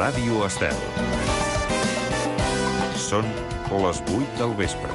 Ràdio Estel. Són les 8 del vespre.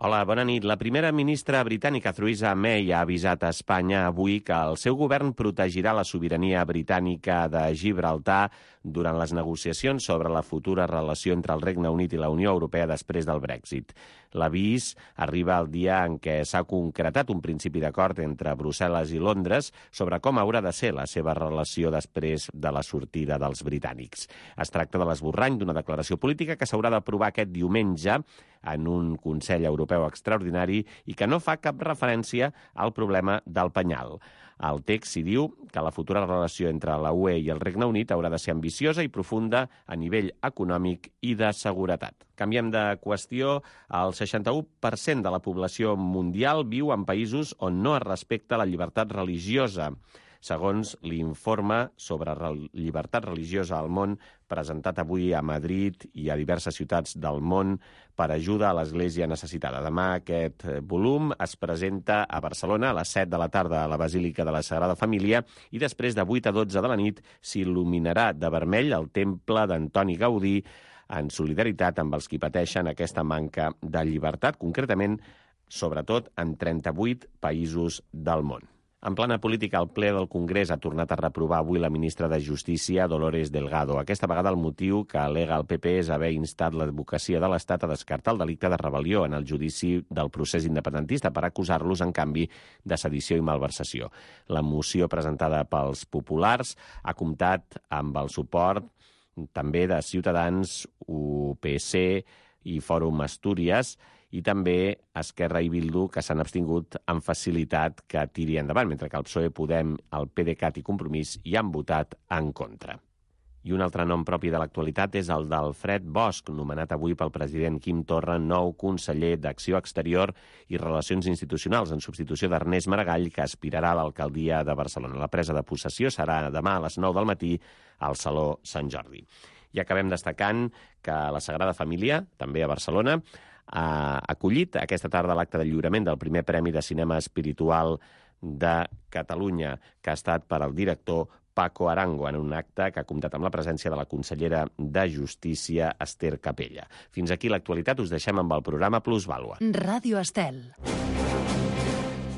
Hola, bona nit. La primera ministra britànica, Theresa May, ha avisat a Espanya avui que el seu govern protegirà la sobirania britànica de Gibraltar durant les negociacions sobre la futura relació entre el Regne Unit i la Unió Europea després del Brexit. L'avís arriba el dia en què s'ha concretat un principi d'acord entre Brussel·les i Londres sobre com haurà de ser la seva relació després de la sortida dels britànics. Es tracta de l'esborrany d'una declaració política que s'haurà d'aprovar aquest diumenge en un Consell Europeu extraordinari i que no fa cap referència al problema del penyal. Al text s'hi diu que la futura relació entre la UE i el Regne Unit haurà de ser ambiciosa i profunda a nivell econòmic i de seguretat. Canviem de qüestió. El 61% de la població mundial viu en països on no es respecta la llibertat religiosa, segons l'informe sobre llibertat religiosa al món presentat avui a Madrid i a diverses ciutats del món per ajuda a l'Església necessitada. Demà aquest volum es presenta a Barcelona a les 7 de la tarda a la Basílica de la Sagrada Família i després de 8 a 12 de la nit s'il·luminarà de vermell el temple d'Antoni Gaudí en solidaritat amb els qui pateixen aquesta manca de llibertat, concretament, sobretot, en 38 països del món. En plana política, el ple del Congrés ha tornat a reprovar avui la ministra de Justícia, Dolores Delgado. Aquesta vegada el motiu que al·lega el PP és haver instat l'advocacia de l'Estat a descartar el delicte de rebel·lió en el judici del procés independentista per acusar-los, en canvi, de sedició i malversació. La moció presentada pels populars ha comptat amb el suport també de Ciutadans, UPC i Fòrum Astúries, i també Esquerra i Bildu, que s'han abstingut amb facilitat que tiri endavant, mentre que el PSOE, Podem, el PDeCAT i Compromís hi han votat en contra. I un altre nom propi de l'actualitat és el d'Alfred Bosch, nomenat avui pel president Quim Torra nou conseller d'Acció Exterior i Relacions Institucionals, en substitució d'Ernest Maragall, que aspirarà a l'alcaldia de Barcelona. La presa de possessió serà demà a les 9 del matí al Saló Sant Jordi. I acabem destacant que la Sagrada Família, també a Barcelona, ha acollit aquesta tarda l'acte de lliurament del primer Premi de Cinema Espiritual de Catalunya, que ha estat per al director Paco Arango, en un acte que ha comptat amb la presència de la consellera de Justícia, Esther Capella. Fins aquí l'actualitat, us deixem amb el programa Plusvàlua. Ràdio Estel.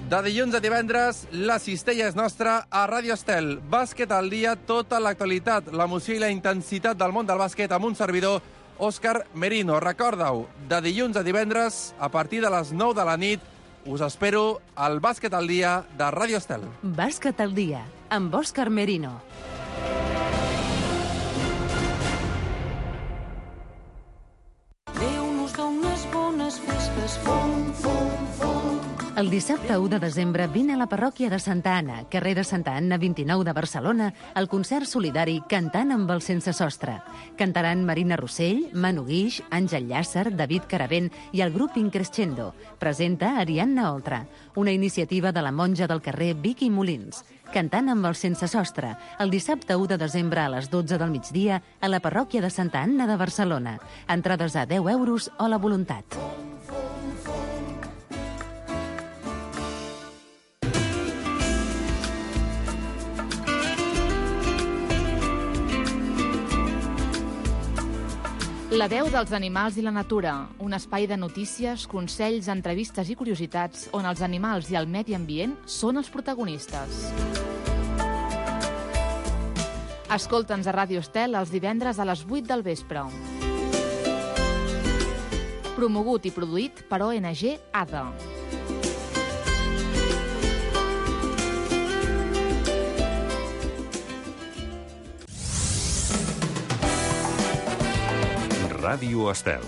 De dilluns a divendres, la cistella és nostra a Ràdio Estel. Bàsquet al dia, tota l'actualitat, l'emoció i la intensitat del món del bàsquet amb un servidor, Òscar Merino. Recorda-ho, de dilluns a divendres, a partir de les 9 de la nit, us espero al Bàsquet al dia de Ràdio Estel. Bàsquet al dia, amb Òscar Merino. Déu nos dona unes bones festes, fum, fum, fum. El dissabte 1 de desembre vine a la parròquia de Santa Anna, carrer de Santa Anna 29 de Barcelona, el concert solidari Cantant amb el Sense Sostre. Cantaran Marina Rossell, Manu Guix, Àngel Llàcer, David Caravent i el grup Increscendo. Presenta Ariadna Oltra, una iniciativa de la monja del carrer Vicky Molins. Cantant amb el Sense Sostre, el dissabte 1 de desembre a les 12 del migdia a la parròquia de Santa Anna de Barcelona. Entrades a 10 euros o la voluntat. La veu dels animals i la natura, un espai de notícies, consells, entrevistes i curiositats on els animals i el medi ambient són els protagonistes. Escolta'ns a Ràdio Estel els divendres a les 8 del vespre. Promogut i produït per ONG ADA. Ràdio Estel.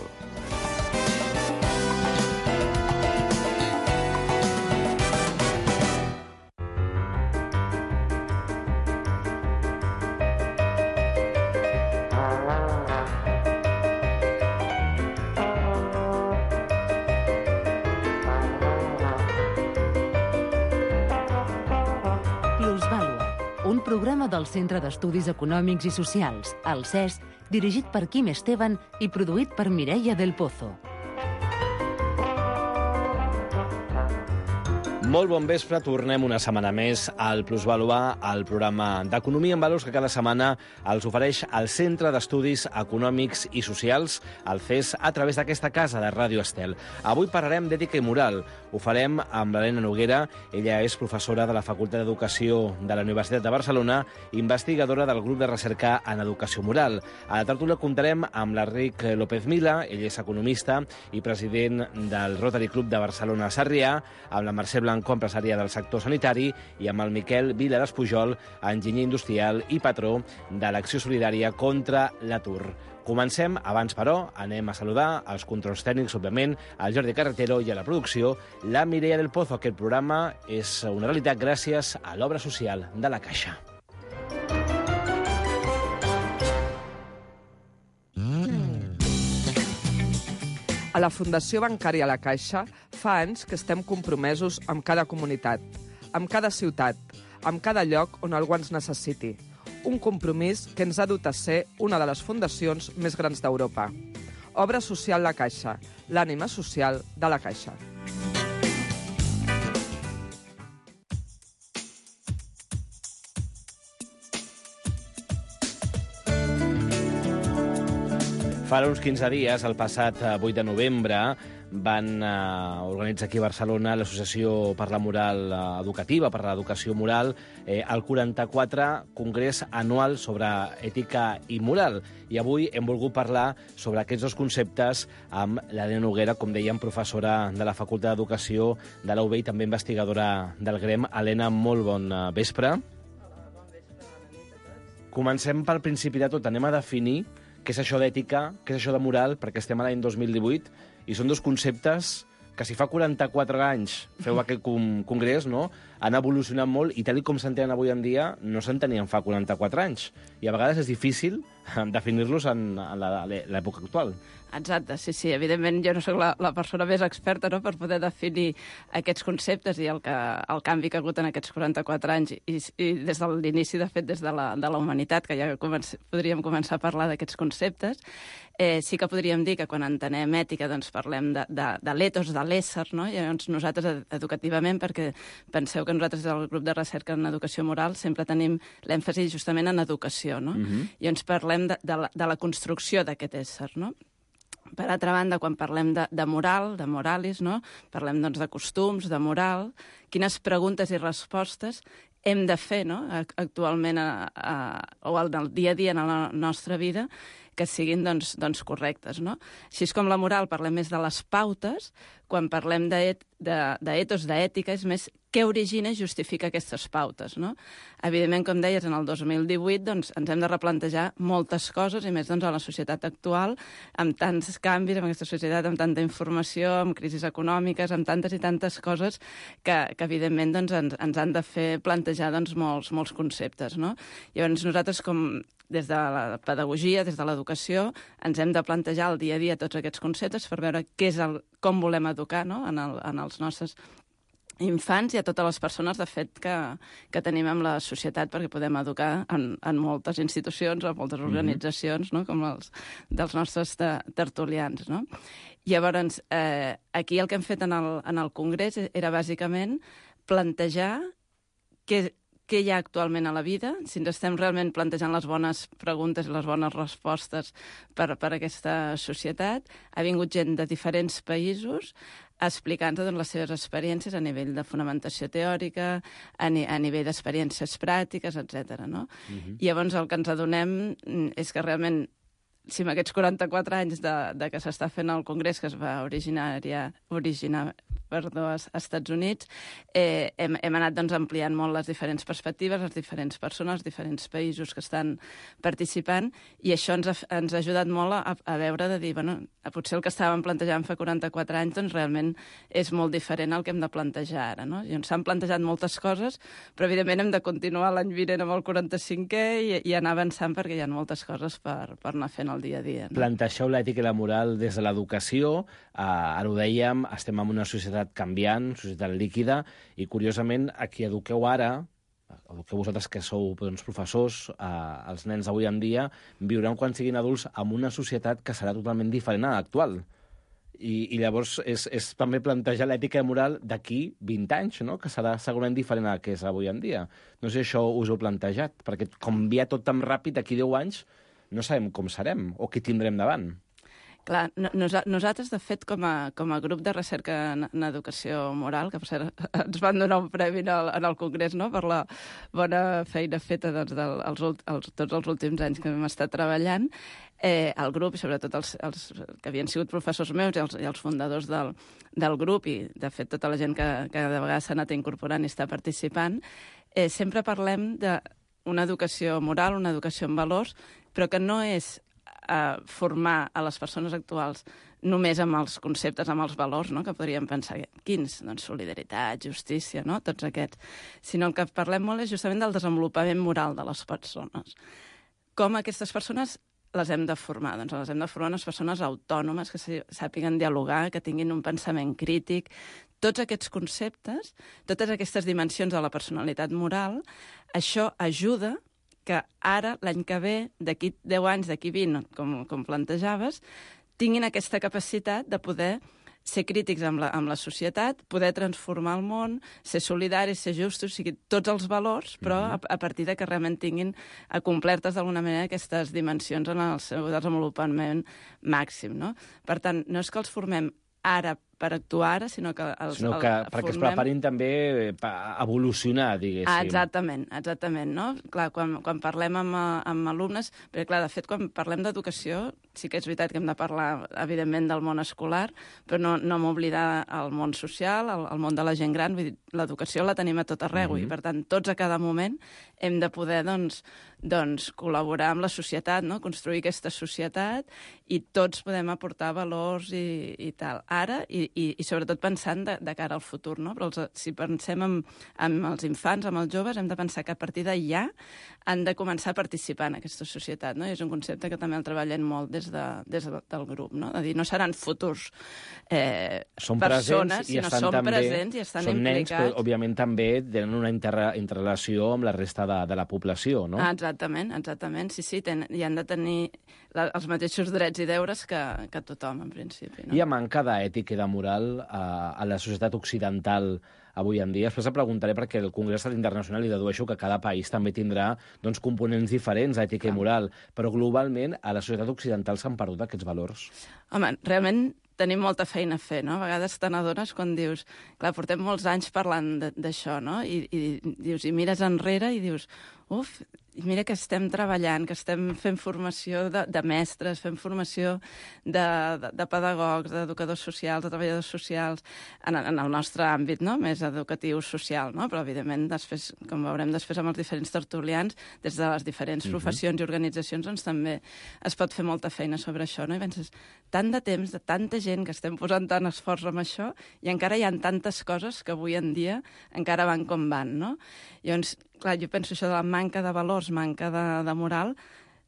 Plusvàlua, un programa del Centre d'Estudis Econòmics i Socials, el CES, dirigit per Quim Esteban i produït per Mireia del Pozo. Molt bon vespre, tornem una setmana més al Plusvalua, el programa d'Economia en Valors que cada setmana els ofereix el Centre d'Estudis Econòmics i Socials, el CES, a través d'aquesta casa de Ràdio Estel. Avui parlarem d'ètica i moral. Ho farem amb l'Helena Noguera. Ella és professora de la Facultat d'Educació de la Universitat de Barcelona, investigadora del grup de recerca en educació moral. A la tertúlia comptarem amb l'Enric López Mila, ell és economista i president del Rotary Club de Barcelona Sarrià, amb la Mercè Blanco, empresària del sector sanitari, i amb el Miquel Vila Despujol, enginyer industrial i patró de l'Acció Solidària contra l'Atur. Comencem. Abans, però, anem a saludar els controls tècnics, òbviament, al Jordi Carretero i a la producció, la Mireia del Pozo. Aquest programa és una realitat gràcies a l'obra social de la Caixa. A la Fundació Bancària La Caixa fa anys que estem compromesos amb cada comunitat, amb cada ciutat, amb cada lloc on algú ens necessiti. Un compromís que ens ha dut a ser una de les fundacions més grans d'Europa. Obra social La Caixa, l'ànima social de la Caixa. Fa uns 15 dies, el passat 8 de novembre, van organitzar aquí a Barcelona l'Associació per la Moral Educativa, per l'Educació Moral, el 44 Congrés Anual sobre Ètica i Moral. I avui hem volgut parlar sobre aquests dos conceptes amb l'Helena Noguera, com dèiem, professora de la Facultat d'Educació de la UB i també investigadora del GREM. Helena, molt bon vespre. Hola, bon vespre, bona nit a tots. Comencem pel principi de tot. Anem a definir què és això d'ètica, què és això de moral, perquè estem a l'any 2018 i són dos conceptes que si fa 44 anys feu aquest congrés, no? Han evolucionat molt i tal com s'entenen avui en dia no s'entenien fa 44 anys. I a vegades és difícil definir-los en l'època actual. Exacte, sí. Evidentment jo no soc la persona més experta, no?, per poder definir aquests conceptes i el canvi que ha hagut en aquests 44 anys i des de l'inici, de fet, des de la humanitat, que ja podríem començar a parlar d'aquests conceptes. Sí que podríem dir que quan entenem ètica doncs parlem de l'etos, de l'ésser, no? I llavors nosaltres educativament, perquè penseu que nosaltres del grup de recerca en educació moral sempre tenim l'èmfasi justament en educació, no? I ens parlem de la construcció d'aquest ésser, no? Per altra banda, quan parlem de moral, de moralis, no? Parlem doncs de costums, de moral, quines preguntes i respostes hem de fer, no?, actualment o en el dia a dia en la nostra vida, que siguin doncs correctes, no? Així com la moral parlem més de les pautes, quan parlem d'etos, d'ètica, és més què origina i justifica aquestes pautes, no? Evidentment, com deies, en el 2018 doncs, ens hem de replantejar moltes coses, i més doncs, a la societat actual, amb tants canvis, amb aquesta societat, amb tanta informació, amb crisis econòmiques, amb tantes i tantes coses que evidentment, doncs, ens han de fer plantejar doncs, molts conceptes, no? Llavors, nosaltres, des de la pedagogia, des de l'educació, ens hem de plantejar al dia a dia tots aquests conceptes per veure com volem educar, no?, en els nostres infants i a totes les persones, de fet, que tenim en la societat, perquè podem educar en moltes institucions o moltes organitzacions, no?, com els dels nostres tertulians, no? Llavors, aquí el que hem fet en el Congrés era bàsicament plantejar què hi ha actualment a la vida, si ens estem realment plantejant les bones preguntes i les bones respostes per a aquesta societat. Ha vingut gent de diferents països explicant-nos les seves experiències a nivell de fonamentació teòrica, a nivell d'experiències pràctiques, etc. No? Llavors el que ens adonem és que realment, si en aquests 44 anys de que s'està fent el Congrés, que es va originar als Estats Units, hem anat doncs, ampliant molt les diferents perspectives, les diferents persones, els diferents països que estan participant, i això ens ha ajudat molt a veure, de dir, bueno, potser el que estàvem plantejant fa 44 anys doncs, realment és molt diferent al que hem de plantejar ara, no? I s'han plantejat moltes coses, però evidentment hem de continuar l'any vinent amb el 45è i anar avançant, perquè hi ha moltes coses per anar fent el dia a dia. No? Planteixeu l'ètica i la moral des de l'educació, ara ho dèiem, estem en una societat canviant, societat líquida, i curiosament a qui eduqueu ara, eduqueu vosaltres que sou doncs, professors, els nens d'avui en dia viuran quan siguin adults en una societat que serà totalment diferent a l'actual. I llavors és també plantejar l'ètica i moral d'aquí 20 anys, no? Que serà segurament diferent a que és avui en dia. No sé si això us ho heu plantejat, perquè com canvia tot tan ràpid, d'aquí 10 anys no sabem com serem o què tindrem davant. Clar, nosaltres, de fet, com a grup de recerca en educació moral, que per cert ens van donar un premi en el Congrés, no?, per la bona feina feta doncs, tots els últims anys que hem estat treballant, el grup, i sobretot els que havien sigut professors meus i els fundadors del grup, i de fet tota la gent que de vegades s'ha anat incorporant i està participant, sempre parlem d'una educació moral, una educació en valors, però que no és formar a les persones actuals només amb els conceptes, amb els valors, no?, que podríem pensar, quins? Doncs solidaritat, justícia, no?, tots aquests. Sinó el que parlem molt és justament del desenvolupament moral de les persones. Com aquestes persones les hem de formar? Doncs les hem de formar unes persones autònomes que sàpiguen dialogar, que tinguin un pensament crític. Tots aquests conceptes, totes aquestes dimensions de la personalitat moral, això ajuda que ara, l'any que ve, d'aquí 10 anys, d'aquí 20, com plantejaves, tinguin aquesta capacitat de poder ser crítics amb la societat, poder transformar el món, ser solidaris, ser justos, o sigui, tots els valors, però a partir de que realment tinguin complertes d'alguna manera aquestes dimensions en el seu desenvolupament màxim, no? Per tant, no és que els formem ara per actuar ara, sinó que perquè es preparin també a evolucionar, diguéssim. Exactament, no? Clar, quan parlem amb alumnes, perquè clar, de fet, quan parlem d'educació, sí que és veritat que hem de parlar, evidentment, del món escolar, però no m'oblidar el món social, el món de la gent gran, vull dir, l'educació la tenim a tot arreu, i per tant, tots a cada moment hem de poder, doncs col·laborar amb la societat, no?, construir aquesta societat, i tots podem aportar valors i tal. Ara, i sobretot pensant de cara al futur, no? Però si pensem en els infants, amb els joves, hem de pensar que a partir de ja han de començar a participar en aquesta societat, no? I és un concepte que també el treballem molt des del grup, no? De dir, no seran futurs persones, sinó són presents i estan implicats. Són nens, però òbviament també tenen una interrelació amb la resta de la població, no? Exactament, sí, i han de tenir els mateixos drets i deures que tothom, en principi, no? Hi ha manca d'ètica i de moral a la societat occidental avui en dia. Després em preguntaré perquè el Congrés Internacional, i dedueixo que cada país també tindrà components diferents d'ètica i moral, però globalment a la societat occidental s'han perdut aquests valors. Home, realment tenim molta feina a fer, no? A vegades te n'adones quan dius, clar, portem molts anys parlant d'això, no? I dius, i mires enrere i dius, mira que estem treballant, que estem fent formació de mestres, fem formació de pedagogs, d'educadors socials, de treballadors socials, en el nostre àmbit, no?, més educatiu social, no? Però, evidentment, després, com veurem després amb els diferents tertulians, des de les diferents professions i organitzacions, doncs també es pot fer molta feina sobre això, no? I penses, tant de temps, de tanta gent que estem posant tant esforç amb això, i encara hi ha tantes coses que avui en dia encara van com van, no? Llavors, clar, jo penso això de la manca de valors, manca de moral,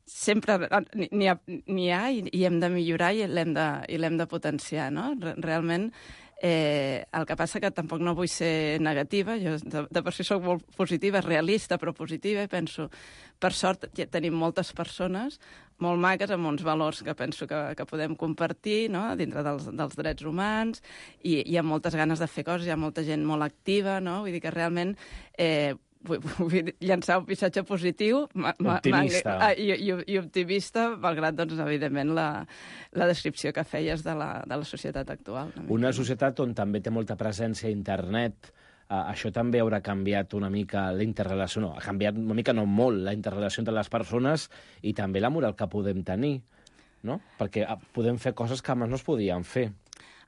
sempre n'hi ha i hem de millorar i l'hem de potenciar, no? Realment, el que passa que tampoc no vull ser negativa, jo de per si soc molt positiva, realista, però positiva, i penso, per sort tenim moltes persones molt maques amb uns valors que penso que podem compartir, no?, dintre dels drets humans, i hi ha moltes ganes de fer coses, hi ha molta gent molt activa, no? Vull dir que realment vull llançar un missatge positiu optimista i optimista, malgrat, doncs, evidentment, la descripció que feies de la societat actual. Una societat on també té molta presència a internet, això també haurà canviat una mica la interrelació, ha canviat una mica, no molt, la interrelació entre les persones i també la moral que podem tenir, no? Perquè podem fer coses que abans no es podien fer.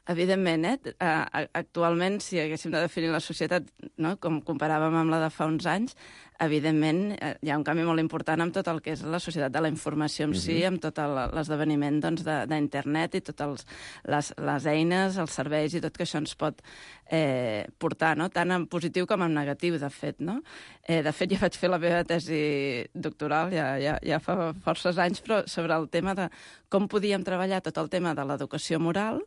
Evidentment, actualment, si haguéssim de definir la societat, no?, com comparàvem amb la de fa uns anys, evidentment hi ha un canvi molt important amb tot el que és la societat de la informació en si, amb tot l'esdeveniment d'internet i totes les eines, els serveis i tot que això ens pot portar, no?, tant en positiu com en negatiu, de fet, no? De fet, jo vaig fer la meva tesi doctoral ja fa forces anys, però sobre el tema de com podíem treballar tot el tema de l'educació moral,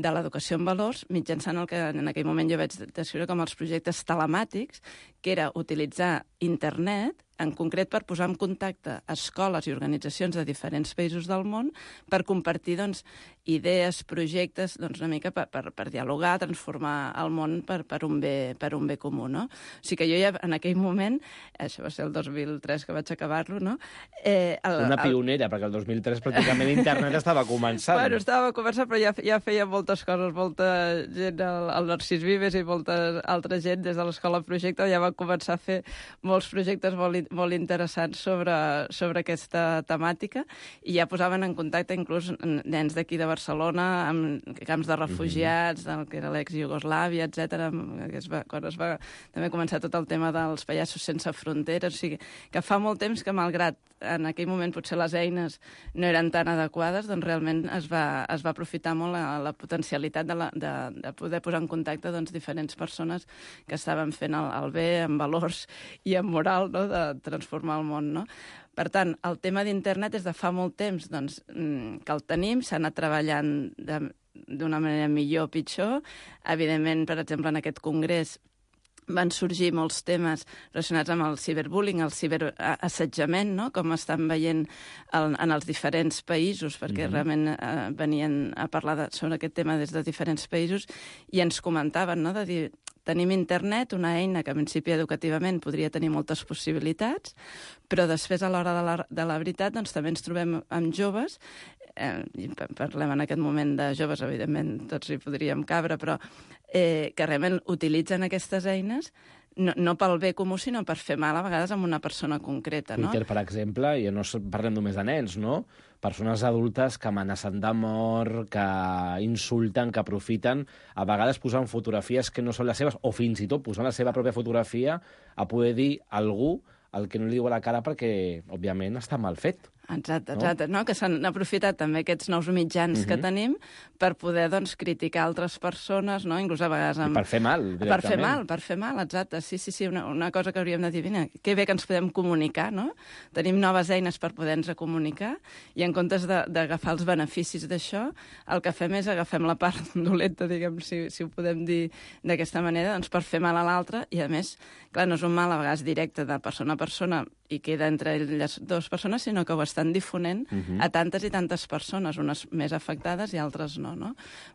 de l'educació en valors, mitjançant el que en aquell moment jo vaig descriure com els projectes telemàtics, que era utilitzar internet en concret per posar en contacte escoles i organitzacions de diferents països del món per compartir doncs, idees, projectes, doncs, una mica per dialogar, transformar el món per un bé comú. No? O sigui que jo ja en aquell moment, això va ser el 2003 que vaig acabar-lo, no? Una pionera, perquè el 2003 pràcticament internet estava començant. Bueno, estava començant, però ja feia moltes coses, molta gent, el Narcís Vives i molta altra gent des de l'Escola Projecte ja van començar a fer molts projectes molt interessants sobre aquesta temàtica i ja posaven en contacte inclús nens d'aquí de Barcelona amb camps de refugiats, del que era l'ex-Iugoslàvia, etc. Quan es va també començar tot el tema dels pallassos sense fronteres, o sigui, que fa molt temps que malgrat en aquell moment potser les eines no eren tan adequades, doncs realment es va aprofitar molt la potencialitat de poder posar en contacte doncs, diferents persones que estaven fent el bé amb valors i amb moral, no?, de transformar el món, no? Per tant, el tema d'internet és de fa molt temps doncs, que el tenim, s'ha anat treballant d'una manera millor o pitjor. Evidentment, per exemple, en aquest congrés van sorgir molts temes relacionats amb el ciberbullying, el ciberassetjament, no? Com estan veient en els diferents països, perquè realment venien a parlar sobre aquest tema des de diferents països i ens comentaven, no?, de dir, tenim internet, una eina que en principi educativament podria tenir moltes possibilitats, però després a l'hora de la veritat doncs, també ens trobem amb joves, i parlem en aquest moment de joves, evidentment tots hi podríem cabre, però que realment utilitzen aquestes eines no pel bé comú, sinó per fer mal a vegades amb una persona concreta. Twitter, per exemple, i no parlem només de nens, no? Persones adultes que amenacen de mort, que insulten, que aprofiten, a vegades posant fotografies que no són les seves, o fins i tot posant la seva pròpia fotografia a poder dir a algú el que no li diu a la cara perquè, òbviament, està mal fet. Exacte, no? Que s'han aprofitat també aquests nous mitjans que tenim per poder, doncs, criticar altres persones, no? Inclús a vegades... Per fer mal, directament. Per fer mal, exacte. Sí, una cosa que hauríem de dir, mira, que bé que ens podem comunicar, no? Tenim noves eines per poder-nos comunicar i en comptes d'agafar els beneficis d'això, el que fem és agafem la part dolenta, diguem, si ho podem dir d'aquesta manera, doncs per fer mal a l'altre i, a més, clar, no és un mal a vegades directe de persona a persona i queda entre les dues persones, sinó que ho estan difonent a tantes i tantes persones, unes més afectades i altres no, no?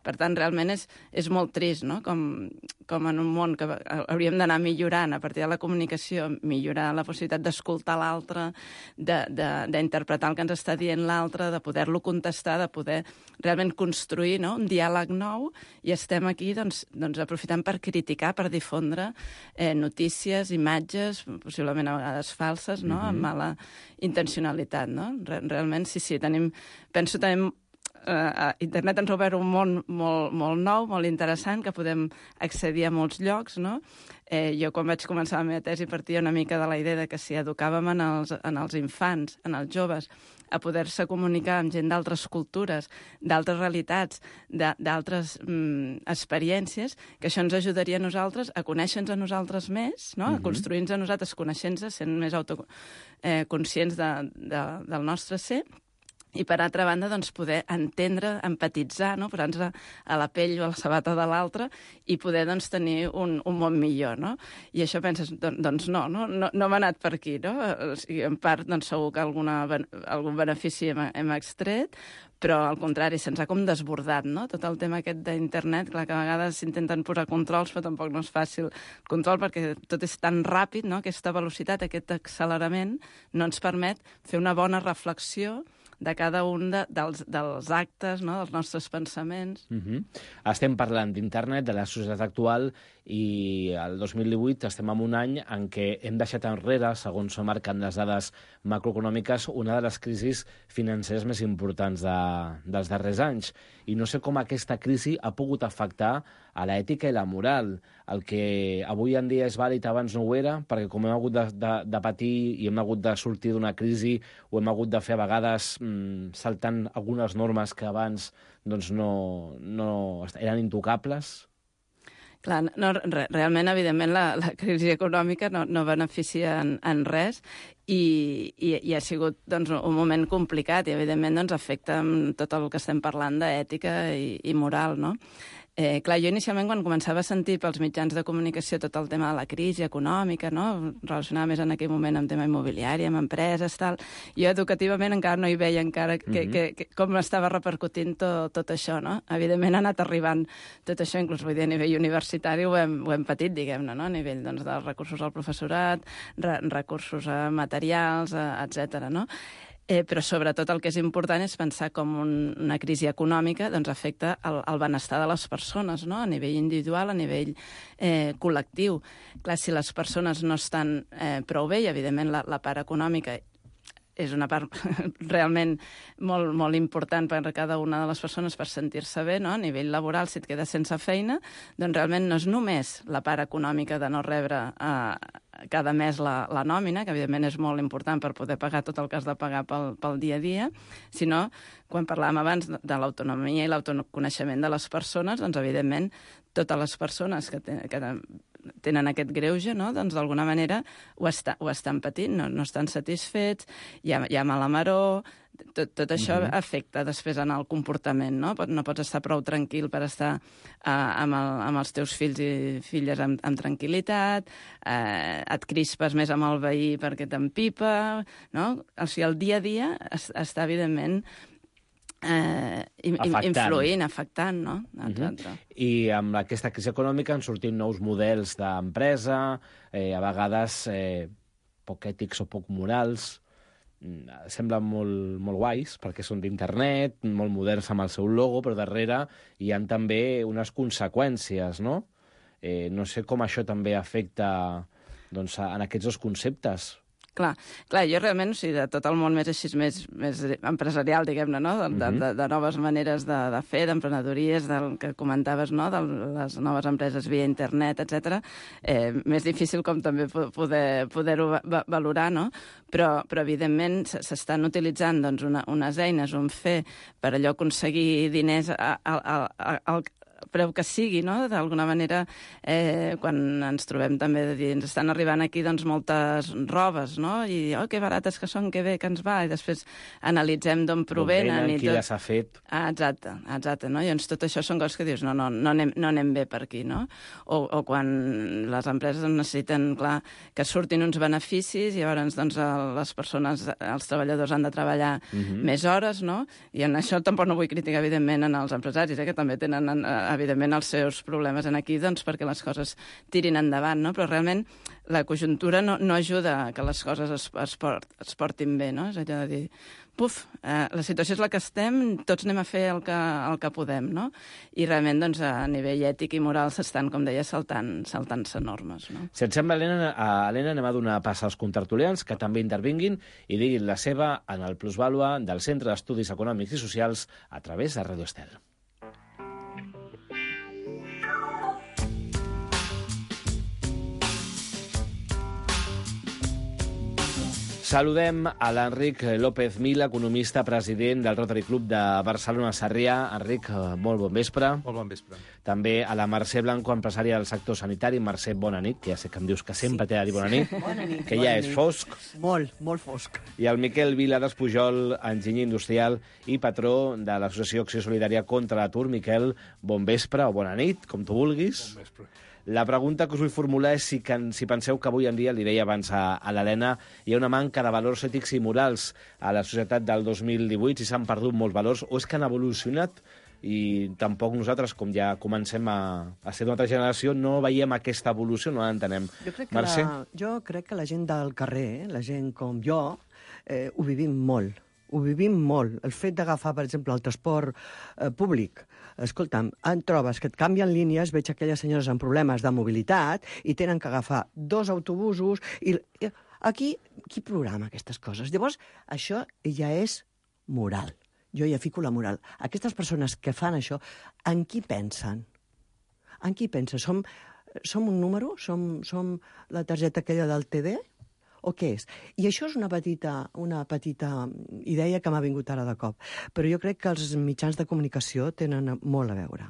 Per tant, realment és molt trist, no? Com en un món que hauríem d'anar millorant a partir de la comunicació, millorar la possibilitat d'escoltar l'altre, d'interpretar el que ens està dient l'altre, de poder-lo contestar, de poder realment construir, no?, un diàleg nou, i estem aquí doncs, aprofitant per criticar, per difondre notícies, imatges, possiblement a vegades falses, no?, amb mala intencionalitat, no? Realment, sí, penso també internet ens ha obert un món molt nou, molt interessant, que podem accedir a molts llocs, no? Jo, quan vaig començar la meva tesi, partia una mica de la idea de que si educàvem en els infants, en els joves, a poder-se comunicar amb gent d'altres cultures, d'altres realitats, d'altres experiències, que això ens ajudaria a nosaltres a conèixer-nos a nosaltres més, no? A construir-nos a nosaltres, coneixent-nos, sent més conscients del nostre ser, i, per altra banda, doncs, poder entendre, empatitzar, no?, posar-nos a la pell o a la sabata de l'altre i poder doncs, tenir un món millor, no? I això penses, doncs no m'ha anat per aquí, no? O sigui, en part, doncs, segur que algun benefici hem extret, però, al contrari, se'ns ha com desbordat, no?, tot el tema aquest d'internet. Clar que a vegades s'intenten posar controls, però tampoc no és fàcil control, perquè tot és tan ràpid, no?, aquesta velocitat, aquest accelerament, no ens permet fer una bona reflexió de cada un dels actes, no?, dels nostres pensaments. Estem parlant d'internet, de la societat actual, i el 2018 estem en un any en què hem deixat enrere, segons marquen les dades macroeconòmiques, una de les crisis financeres més importants dels darrers anys. I no sé com aquesta crisi ha pogut afectar a l'ètica i la moral. El que avui en dia és vàlid abans no ho era, perquè com hem hagut de patir i hem hagut de sortir d'una crisi, o hem hagut de fer a vegades saltant algunes normes que abans doncs, no eren intocables. Clar, realment, evidentment, la crisi econòmica no beneficia en res i ha sigut doncs, un moment complicat i, evidentment, doncs, afecta tot el que estem parlant d'ètica i moral, no? Clar, jo inicialment quan començava a sentir pels mitjans de comunicació tot el tema de la crisi econòmica, no? Relacionada més en aquell moment amb tema immobiliari, amb empreses, tal, jo educativament encara no hi veia encara com estava repercutint tot això, no? Evidentment ha anat arribant tot això, inclús vull dir, a nivell universitari ho hem patit, diguem-ne, no? A nivell doncs, dels recursos al professorat, recursos materials, etc. no? Però sobretot el que és important és pensar com una crisi econòmica doncs, afecta el benestar de les persones, no? A nivell individual, a nivell col·lectiu. Clar, si les persones no estan prou bé, i evidentment la part econòmica és una part realment molt, molt important per a cada una de les persones per sentir-se bé, no? A nivell laboral, si et quedes sense feina, doncs realment no és només la part econòmica de no rebre cada mes la nòmina, que evidentment és molt important per poder pagar tot el que has de pagar pel dia a dia, sinó, quan parlàvem abans de l'autonomia i l'autoconeixement de les persones, doncs evidentment totes les persones que tenen aquest greuge, no? Doncs d'alguna manera ho estan patint, no estan satisfets, hi ha mala maror, tot això afecta després en el comportament, no? No pots estar prou tranquil per estar amb els teus fills i filles amb tranquil·litat, et crispes més amb el veí perquè t'empipa, no? O sigui, el dia a dia està, evidentment, influint, afectant, no? I amb aquesta crisi econòmica han sortit nous models d'empresa, a vegades poc ètics o poc morals, semblen molt guais, perquè són d'internet, molt moderns amb el seu logo, però darrere hi ha també unes conseqüències, no? No sé com això també afecta doncs, en aquests dos conceptes. Clar, jo realment, o sigui, de tot el món més així, més empresarial, diguem-ne, no? De noves maneres de fer, d'emprenedories, del que comentaves, no? De les noves empreses via internet, etc. Més difícil com també poder-ho valorar, no? Però evidentment, s'estan utilitzant doncs, unes eines, un fer, per allò aconseguir diners al preu que sigui, no? D'alguna manera, quan ens trobem també de dir, ens estan arribant aquí doncs, moltes robes, no? I que barates que són, que bé que ens va, i després analitzem d'on provenen. Qui les ha fet. Exacte, no? I llavors tot això són coses que dius, no anem bé per aquí, no? O quan les empreses necessiten, clar, que surtin uns beneficis i llavors doncs, les persones, els treballadors han de treballar més hores, no? I en això tampoc no vull criticar, evidentment, en els empresaris, que també tenen evidentment els seus problemes en aquí doncs, perquè les coses tirin endavant, no? Però realment la conjuntura no ajuda a que les coses es portin bé, no? És allò de dir, la situació és la que estem, tots anem a fer el que podem, no? I realment doncs, a nivell ètic i moral s'estan, com deia, saltant-se normes, no? Si et sembla, Helena, anem a donar pas als contertulians que també intervinguin i diguin la seva en el Plusvàlua del Centre d'Estudis Econòmics i Socials a través de Ràdio Estel. Saludem a l'Enric López Mil, economista, president del Rotary Club de Barcelona Sarrià. Enric, molt bon vespre. Molt bon vespre. També a la Mercè Blanco, empresària del sector sanitari. Mercè, bona nit, que ja sé que em dius que sempre t'he de dir bona nit. Bona nit. Que ja és fosc. Molt fosc. I el Miquel Viladas Pujol, enginyer industrial i patró de l'Associació Acció Solidària contra l'Atur. Miquel, bon vespre o bona nit, com tu vulguis. Bon vespre. La pregunta que us vull formular és si penseu que avui en dia, li deia abans a l'Helena, hi ha una manca de valors ètics i morals a la societat del 2018, si s'han perdut molts valors, o és que han evolucionat i tampoc nosaltres, com ja comencem a ser d'una altra generació, no veiem aquesta evolució, no l'entenem. Jo crec que la gent del carrer, la gent com jo, ho vivim molt. Ho vivim molt. El fet d'agafar, per exemple, el transport públic. Escolta'm, trobes que et canvien línies, veig aquelles senyores amb problemes de mobilitat i tenen que agafar 2 autobusos i aquí, qui programa aquestes coses? Llavors, això ja és moral. Jo ja fico la moral. Aquestes persones que fan això, en qui pensen? En qui pensen? Som un número? Som la targeta aquella del TD? O què és? I això és una petita idea que m'ha vingut ara de cop. Però jo crec que els mitjans de comunicació tenen molt a veure.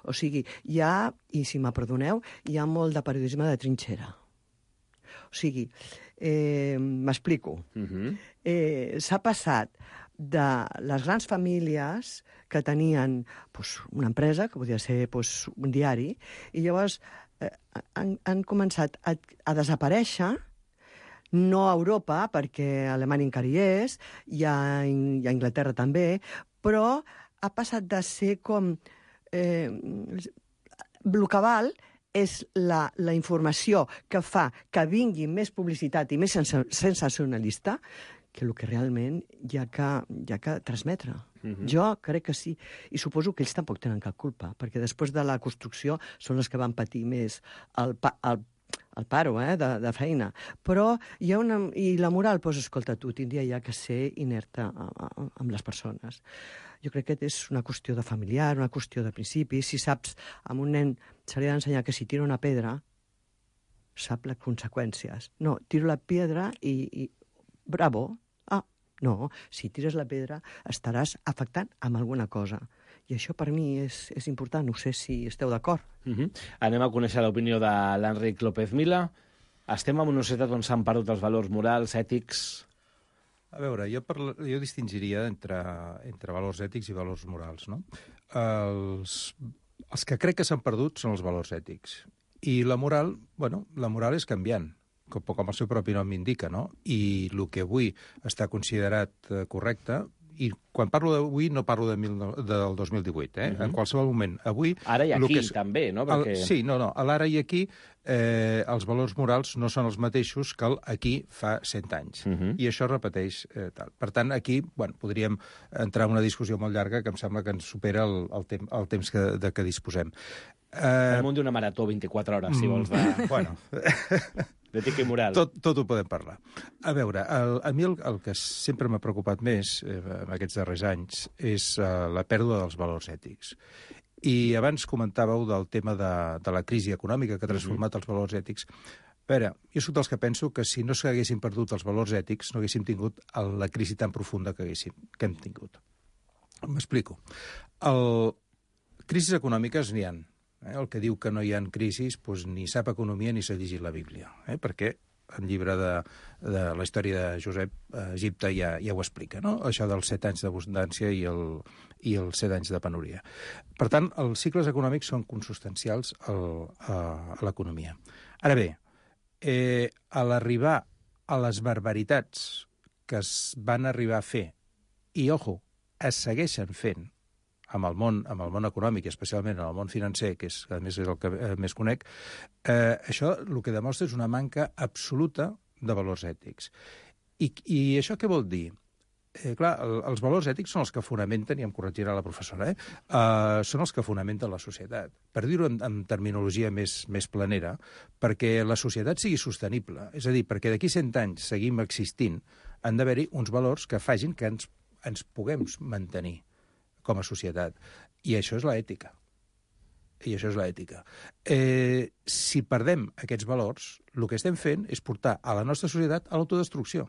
O sigui, hi ha, i si me perdoneu, hi ha molt de periodisme de trinxera. O sigui, m'explico. S'ha passat de les grans famílies que tenien una empresa, que podia ser un diari, i llavors han començat a desaparèixer, no a Europa, perquè Alemanya encara hi és, i a Anglaterra també, però ha passat de ser com... el que val és la informació que fa que vingui més publicitat i més sensacionalista que el que realment hi ha que transmetre. Jo crec que sí. I suposo que ells tampoc tenen cap culpa, perquè després de la construcció són els que van patir més el paro de feina. Però hi ha una... I la moral, escolta, tu tindria ja que ser inerte amb les persones. Jo crec que és una qüestió de familiar, una qüestió de principi. Si saps, amb un nen se li ha d'ensenyar que si tira una pedra, sap les conseqüències. No, tiro la pedra i bravo. No, si tires la pedra estaràs afectant amb alguna cosa. I això per mi és important, no sé si esteu d'acord. Anem a conèixer l'opinió de l'Enric López Mila. Estem en una societat on s'han perdut els valors morals, ètics... A veure, jo distingiria entre valors ètics i valors morals, no? Els que crec que s'han perdut són els valors ètics. I la moral, la moral és canviant, com el seu propi nom indica, no? I el que avui està considerat correcte, i quan parlo d'avui no parlo del 2018, en qualsevol moment. Avui... Ara i aquí, també, no? Perquè... Sí, no, a l'ara i aquí els valors morals no són els mateixos que aquí fa 100 anys. I això es repeteix tal. Per tant, aquí podríem entrar en una discussió molt llarga que em sembla que ens supera el temps de què disposem. Al món d'una marató 24 hores, si vols. Bueno... D'ètica i moral. Tot ho podem parlar. A veure, a mi el que sempre m'ha preocupat més en aquests darrers anys és la pèrdua dels valors ètics. I abans comentàveu del tema de la crisi econòmica que ha transformat els valors ètics. A veure, jo soc dels que penso que si no s'haguessin perdut els valors ètics no haguéssim tingut la crisi tan profunda que hem tingut. M'explico. Crisis econòmiques n'hi ha. El que diu que no hi ha crisis ni sap economia ni s'ha llegit la Bíblia, perquè el llibre de la història de Josep a Egipte ja ho explica, no? Això dels 7 anys d'abundància i els 7 anys de penúria. Per tant, els cicles econòmics són consustancials a l'economia. Ara bé, a l'arribar a les barbaritats que es van arribar a fer, i, ojo, es segueixen fent, amb el món econòmic, especialment en el món financer, que a més és el que més conec, això el que demostra és una manca absoluta de valors ètics. I això què vol dir? Clar, els valors ètics són els que fonamenten, i em corregirà la professora, són els que fonamenten la societat. Per dir-ho en terminologia més planera, perquè la societat sigui sostenible, és a dir, perquè d'aquí 100 anys seguim existint, han d'haver-hi uns valors que facin que ens puguem mantenir com a societat. I això és l'ètica. Si perdem aquests valors, el que estem fent és portar a la nostra societat a l'autodestrucció,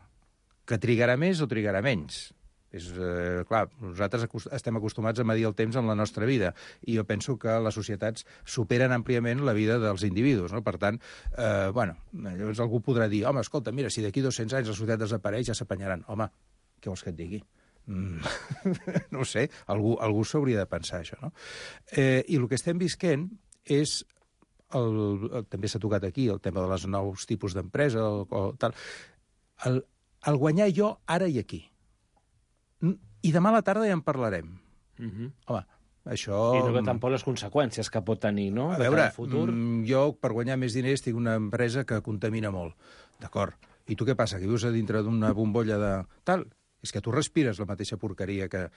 que trigarà més o trigarà menys. Clar, nosaltres estem acostumats a medir el temps en la nostra vida, i jo penso que les societats superen àmpliament la vida dels individus, no? Per tant, llavors algú podrà dir, home, escolta, mira, si d'aquí 200 anys la societat desapareix, ja s'apanyaran. Home, què vols que et digui? No ho sé, algú s'hauria de pensar això, no? I el que estem visquent és, també s'ha tocat aquí, el tema de les nous tipus d'empresa, el guanyar jo ara i aquí. I demà a la tarda ja en parlarem. Home, això... I no ve tampoc les conseqüències que pot tenir, no? A veure, jo per guanyar més diners tinc una empresa que contamina molt. D'acord. I tu què passa? Que vius a dintre d'una bombolla de tal... És que tu respires la mateixa porqueria que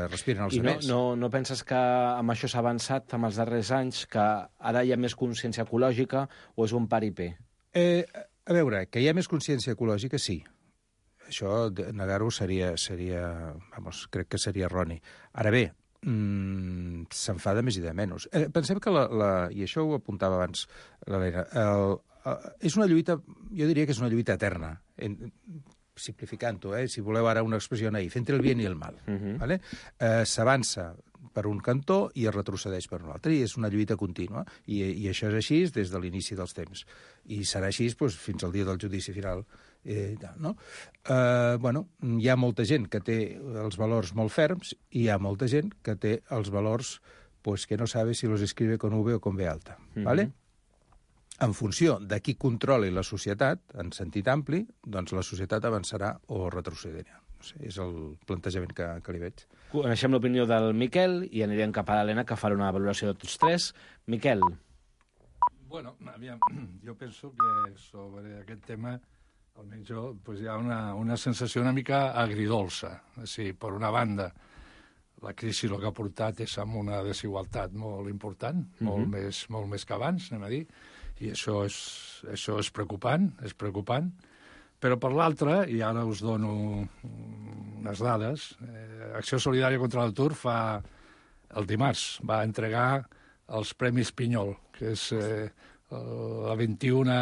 respiren els altres. I no penses que amb això s'ha avançat amb els darrers anys, que ara hi ha més consciència ecològica o és un paripé? A veure, que hi ha més consciència ecològica, sí. Això, negar-ho crec que seria erroni. Ara bé, se'n fa de més i de menys. Pensem que, i això ho apuntava abans l'Helena, és una lluita, jo diria que és una lluita eterna, simplificant-ho, si voleu ara una expressió naïf, entre el bien i el mal. S'avança per un cantó i es retrocedeix per un altre, i és una lluita contínua, i això és així des de l'inici dels temps, i serà així doncs, fins al dia del judici final. No? Hi ha molta gent que té els valors molt ferms i hi ha molta gent que té els valors que no sabe si los escribe con V o con B alta. ¿Vale? En funció de qui controli la societat, en sentit ampli, doncs la societat avançarà o retrocedirà. No sé, és el plantejament que li veig. Coneixem l'opinió del Miquel i anirem cap a l'Helena, que farà una valoració de tots tres. Miquel. Bueno, jo penso que sobre aquest tema, almenys jo, hi ha una sensació una mica agridolça. Sí, per una banda, la crisi el que ha portat és amb una desigualtat molt important, molt més que abans, anem a dir, i això és preocupant, però per l'altra, i ara us dono unes dades, Acció Solidària contra l'Atur el dimarts va entregar els Premis Pinyol, que és la 21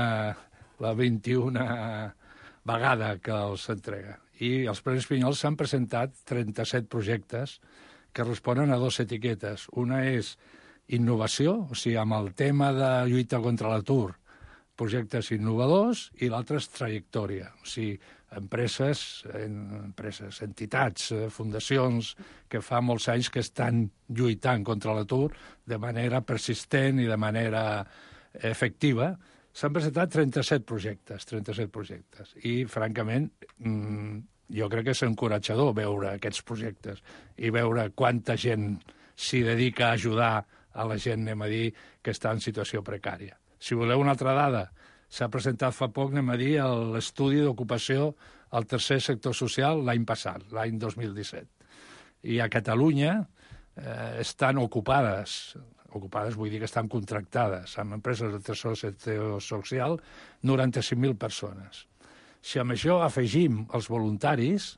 vegada que els entrega. I els Premis Pinyol s'han presentat 37 projectes que responen a dues etiquetes. Una és innovació, o sigui, amb el tema de lluita contra l'atur, projectes innovadors, i l'altra és trajectòria, o sigui, empreses, entitats, fundacions, que fa molts anys que estan lluitant contra l'atur de manera persistent i de manera efectiva. S'han presentat 37 projectes, i, francament, jo crec que és encoratjador veure aquests projectes i veure quanta gent s'hi dedica a ajudar a la gent, anem a dir, que està en situació precària. Si voleu una altra dada, s'ha presentat fa poc, anem a dir, l'estudi d'ocupació al tercer sector social l'any passat, l'any 2017. I a Catalunya estan ocupades vull dir que estan contractades amb empreses del tercer sector social, 95.000 persones. Si amb això afegim els voluntaris,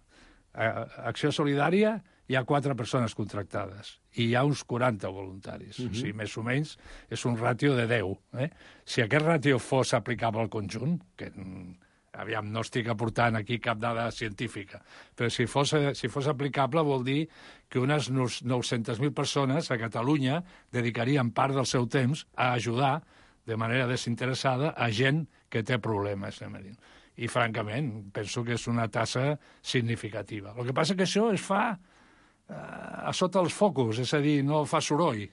a Acció Solidària hi ha 4 persones contractades i hi ha uns 40 voluntaris. O sigui, més o menys és un ràtio de 10. Si aquest ràtio fos aplicable al conjunt, que aviam, no estic aportant aquí cap dada científica, però si fos aplicable vol dir que unes 900.000 persones a Catalunya dedicarien part del seu temps a ajudar de manera desinteressada a gent que té problemes, anem a dir. I, francament, penso que és una tassa significativa. El que passa que això es fa a sota els focus, és a dir, no fa soroll,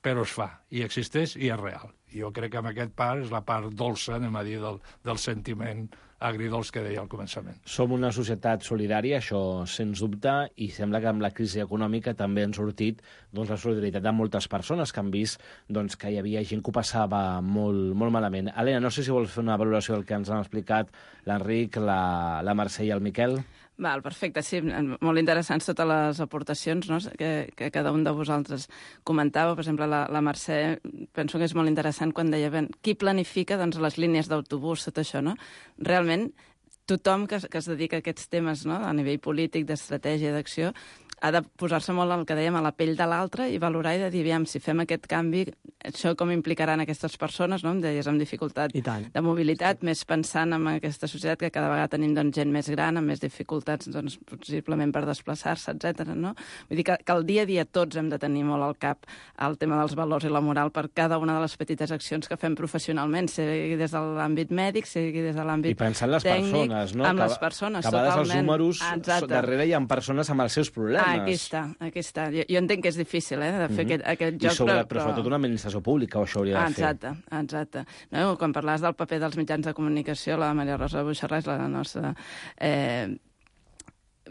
però es fa, i existeix i és real. I jo crec que amb aquest part és la part dolça, anem a dir, del sentiment agridolç que deia al començament. Som una societat solidària, això sens dubte, i sembla que amb la crisi econòmica també han sortit la solidaritat de moltes persones que han vist que hi havia gent que ho passava molt malament. Helena, no sé si vols fer una valoració del que ens han explicat l'Enric, la Mercè i el Miquel. Val, perfecte, sí, molt interessants totes les aportacions, no?, que cada un de vosaltres comentava. Per exemple, la Mercè, penso que és molt interessant quan deia qui planifica les línies d'autobús, tot això, no? Realment, tothom que es dedica a aquests temes, no?, a nivell polític, d'estratègia, d'acció, ha de posar-se molt el que dèiem a la pell de l'altre i valorar i de dir, aviam, si fem aquest canvi, això com implicaran aquestes persones, no?, em deies, amb dificultat de mobilitat, més pensant en aquesta societat que cada vegada tenim gent més gran, amb més dificultats, possiblement per desplaçar-se, etc. no? Vull dir que el dia a dia tots hem de tenir molt al cap el tema dels valors i la moral per cada una de les petites accions que fem professionalment, sigui des de l'àmbit mèdic, sigui des de l'àmbit tècnic. I pensant en les persones, no? Amb les persones, totalment. Que a vegades els números, darrere hi ha persones amb els seus problemes. Aquí està. Jo entenc que és difícil, de fer aquest joc. Però sobretot una administració pública això hauria de fer. Exacte. No, quan parlaves del paper dels mitjans de comunicació, la Maria Rosa Buixarràs, la nostra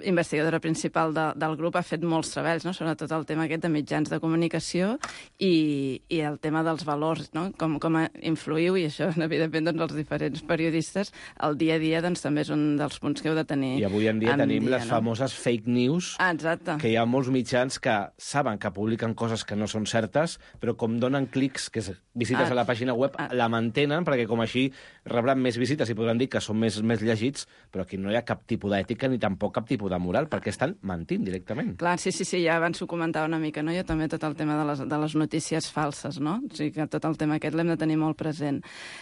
investigadora principal del grup, ha fet molts treballs, no?, sobretot el tema aquest de mitjans de comunicació i el tema dels valors, no?, com influïu, i això, evidentment, els diferents periodistes, el dia a dia també és un dels punts que heu de tenir. I avui en dia tenim les famoses fake news, que hi ha molts mitjans que saben que publiquen coses que no són certes, però com donen clics, que visites a la pàgina web, la mantenen, perquè com així rebran més visites i podran dir que són més llegits, però aquí no hi ha cap tipus d'ètica ni tampoc cap tipus de moral, perquè estan mentint directament. Clar, sí, ja abans ho comentava una mica, no? Jo també tot el tema de les notícies falses, no? O sigui que tot el tema aquest l'hem de tenir molt present.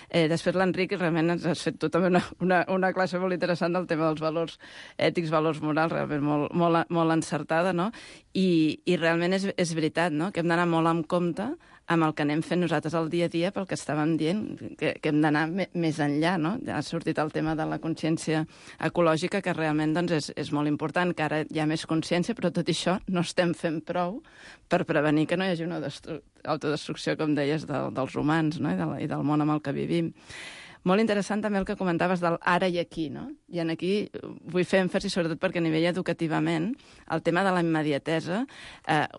Després l'Enric, realment has fet tu també una classe molt interessant del tema dels valors ètics, valors morals, realment molt encertada, no? I realment és veritat, no? Que hem d'anar molt en compte amb el que anem fent nosaltres al dia a dia pel que estàvem dient, que hem d'anar més enllà, no? Ha sortit el tema de la consciència ecològica, que realment doncs, és molt important, que ara hi ha més consciència, però tot això no estem fent prou per prevenir que no hi hagi una autodestrucció, com deies, dels humans, no? I del món amb el que vivim. Molt interessant també el que comentaves del ara i aquí, no? I aquí vull fer èmfasi, sobretot perquè a nivell educativament, el tema de la immediatesa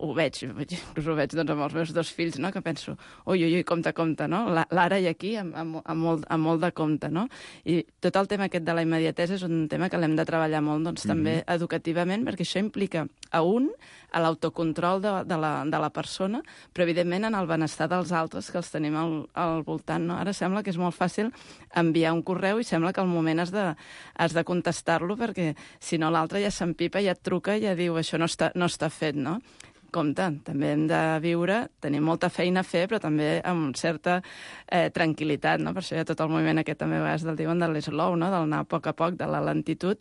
ho veig, inclús ho veig doncs, amb els meus 2 fills, no? Que penso, ui, compte, no? L'ara i aquí amb molt de compte, no? I tot el tema aquest de la immediatesa és un tema que l'hem de treballar molt doncs, també educativament, perquè això implica a l'autocontrol de la persona, però evidentment en el benestar dels altres que els tenim al voltant, no? Ara sembla que és molt fàcil enviar un correu i sembla que al moment has de contestar-lo, perquè si no l'altre ja s'empipa, ja et truca i ja diu això no està fet, no? Compte, també hem de viure, tenim molta feina a fer, però també amb certa tranquil·litat, no? Per això hi ha tot el moviment aquest també a vegades del diuen de l'slow, no? Del anar a poc, de la lentitud,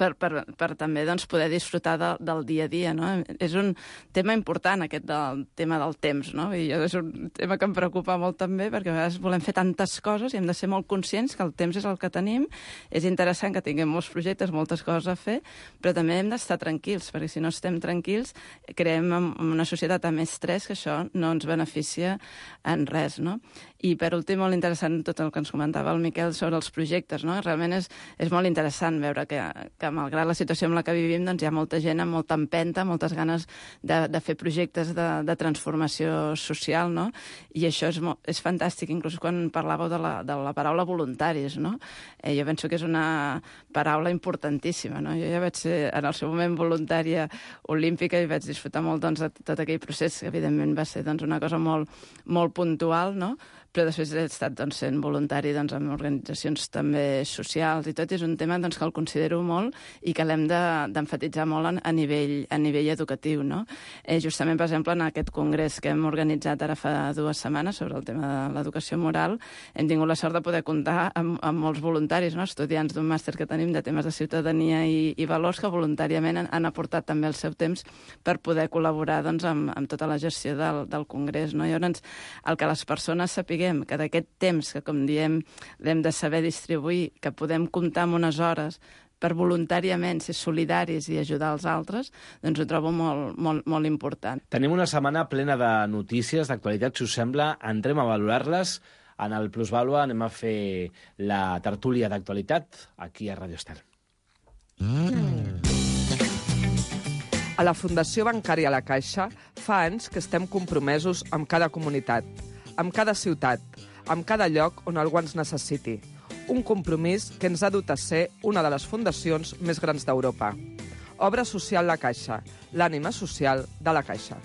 per també doncs, poder disfrutar del dia a dia, no? És un tema important, aquest del tema del temps, no? I és un tema que em preocupa molt també, perquè a vegades volem fer tantes coses i hem de ser molt conscients que el temps és el que tenim. És interessant que tinguem molts projectes, moltes coses a fer, però també hem d'estar tranquils, perquè si no estem tranquils creem una societat amb estrès, que això no ens beneficia en res, no? I per últim, molt interessant tot el que ens comentava el Miquel sobre els projectes, no? Realment és molt interessant veure que malgrat la situació en la que vivim, doncs hi ha molta gent amb molta empenta, moltes ganes de fer projectes de transformació social, no? I això és fantàstic, inclús quan parlàveu de la paraula voluntaris, no? Jo penso que és una paraula importantíssima, no? Jo ja vaig ser en el seu moment voluntària olímpica i vaig disfrutar molt doncs, de tot aquell procés, que evidentment va ser doncs, una cosa molt, molt puntual, no? Però després he estat doncs, sent voluntari doncs, en organitzacions també socials i tot, i és un tema doncs, que el considero molt i que l'hem d'emfatitzar molt a nivell educatiu, no? Justament, per exemple, en aquest congrés que hem organitzat ara fa 2 setmanes sobre el tema de l'educació moral, hem tingut la sort de poder comptar amb molts voluntaris, no? Estudiants d'un màster que tenim de temes de ciutadania i valors que voluntàriament han aportat també el seu temps per poder col·laborar doncs, amb tota la gestió del congrés, no? Llavors, el que les persones sapiguem que d'aquest temps, que com diem l'hem de saber distribuir, que podem comptar amb unes hores per voluntàriament ser solidaris i ajudar els altres, doncs ho trobo molt, molt, molt important. Tenim una setmana plena de notícies, d'actualitat, si us sembla, entrem a valorar-les. En el Plusvàlua anem a fer la tertúlia d'actualitat aquí a Radio Estel. A la Fundació Bancària La Caixa fa anys que estem compromesos amb cada comunitat, amb cada ciutat, amb cada lloc on algú ens necessiti. Un compromís que ens ha dut a ser una de les fundacions més grans d'Europa. Obra Social La Caixa, l'ànima social de la Caixa.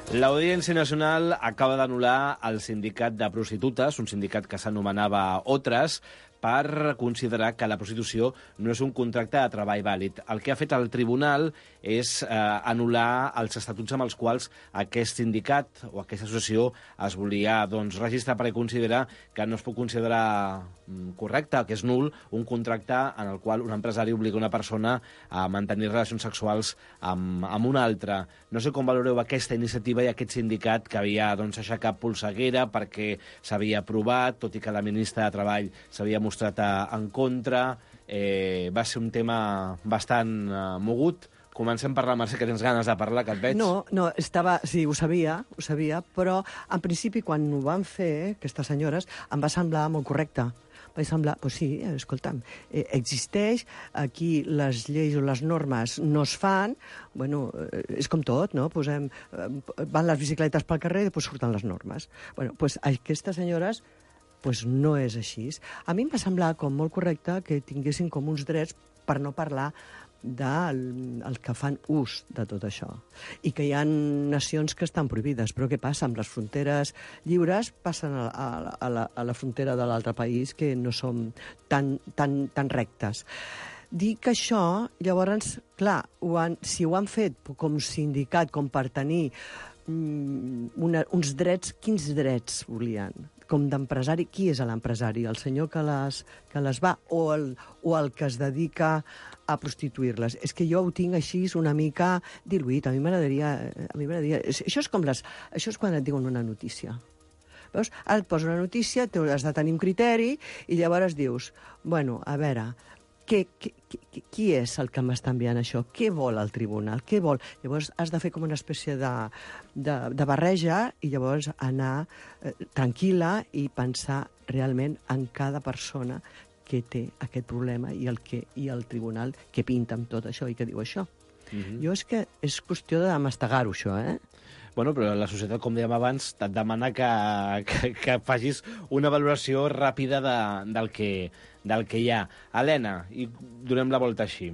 L'Audiència Nacional acaba d'anul·lar el sindicat de prostitutes, un sindicat que s'anomenava Otres, per considerar que la prostitució no és un contracte de treball vàlid. El que ha fet el tribunal és anul·lar els estatuts amb els quals aquest sindicat o aquesta associació es volia registrar, perquè considera que no es pot considerar correcte, que és nul, un contracte en el qual un empresari obliga una persona a mantenir relacions sexuals amb una altra. No sé com valoreu aquesta iniciativa i aquest sindicat que havia aixecat polseguera perquè s'havia aprovat, tot i que la ministra de Treball s'havia mostrat en contra. Va ser un tema bastant mogut. Comencem per la Mercè, que tens ganes de parlar, que et veig. No, sí, ho sabia, però en principi quan ho van fer, aquestes senyores, em va semblar molt correcte. Vaig semblar, doncs sí, escolta'm, existeix, aquí les lleis o les normes no es fan, bueno, és com tot, no? Van les bicicletes pel carrer i després surten les normes. Bueno, doncs aquestes senyores Pues no és així. A mi em va semblar com molt correcte que tinguessin com uns drets per no parlar del que fan ús de tot això. I que hi ha nacions que estan prohibides. Però què passa? Amb les fronteres lliures passen a la frontera de l'altre país, que no són tan rectes. Dic això, llavors, clar, si ho han fet com sindicat, com per tenir uns drets, quins drets volien? Com d'empresari, qui és l'empresari? El senyor que les va o el que es dedica a prostituir-les? És que jo ho tinc així una mica diluït. A mi m'agradaria... Això és quan et diuen una notícia. Veus? Ara et posa una notícia, has de tenir un criteri, i llavors dius, bueno, a veure, qui és el que m'està enviant això? Què vol el tribunal? Què vol? Llavors has de fer com una espècie de barreja i llavors anar tranquil·la i pensar realment en cada persona que té aquest problema i el tribunal que pinta amb tot això i que diu això. Jo és que és qüestió de mastegar-ho, això, Bueno, però la societat, com dèiem abans, et demana que facis una valoració ràpida del que hi ha. Helena, i donem la volta així.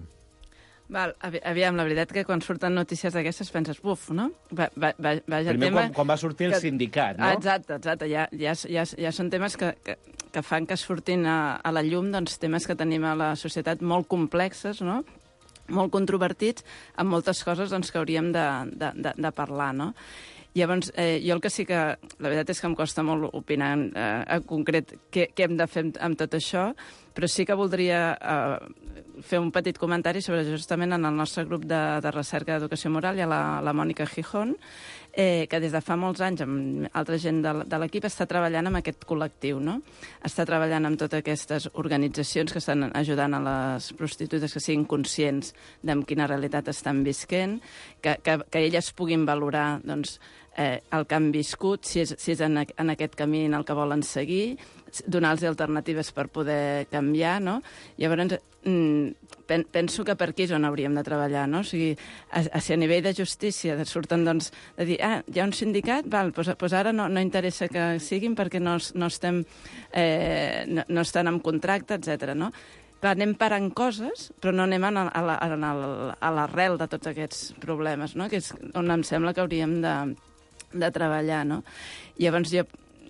Aviam, la veritat que quan surten notícies d'aquestes penses, buf, no? Primer, quan va sortir el sindicat, no? Exacte. Ja són temes que fan que surtin a la llum temes que tenim a la societat molt complexes, no?, molt controvertits, amb moltes coses que hauríem de parlar, no? Llavors, jo el que sí que... La veritat és que em costa molt opinar en concret què hem de fer amb tot això, però sí que voldria fer un petit comentari sobre justament en el nostre grup de recerca d'educació moral. Hi ha la Mònica Gijón, que des de fa molts anys, amb altra gent de l'equip, està treballant amb aquest col·lectiu, no? Està treballant amb totes aquestes organitzacions que estan ajudant a les prostitutes que siguin conscients de quina realitat estan visquent, que elles puguin valorar, doncs, el que han viscut, si és en aquest camí en el que volen seguir, donar-los alternatives per poder canviar, no? Llavors, penso que per aquí és on hauríem de treballar, no? O sigui, si a nivell de justícia surten, doncs, de dir, hi ha un sindicat, doncs ara no interessa que siguin perquè no estan en contracte, etc. no? Clar, anem parant coses, però no anem a l'arrel de tots aquests problemes, no? Que és on em sembla que hauríem de treballar, no? Llavors,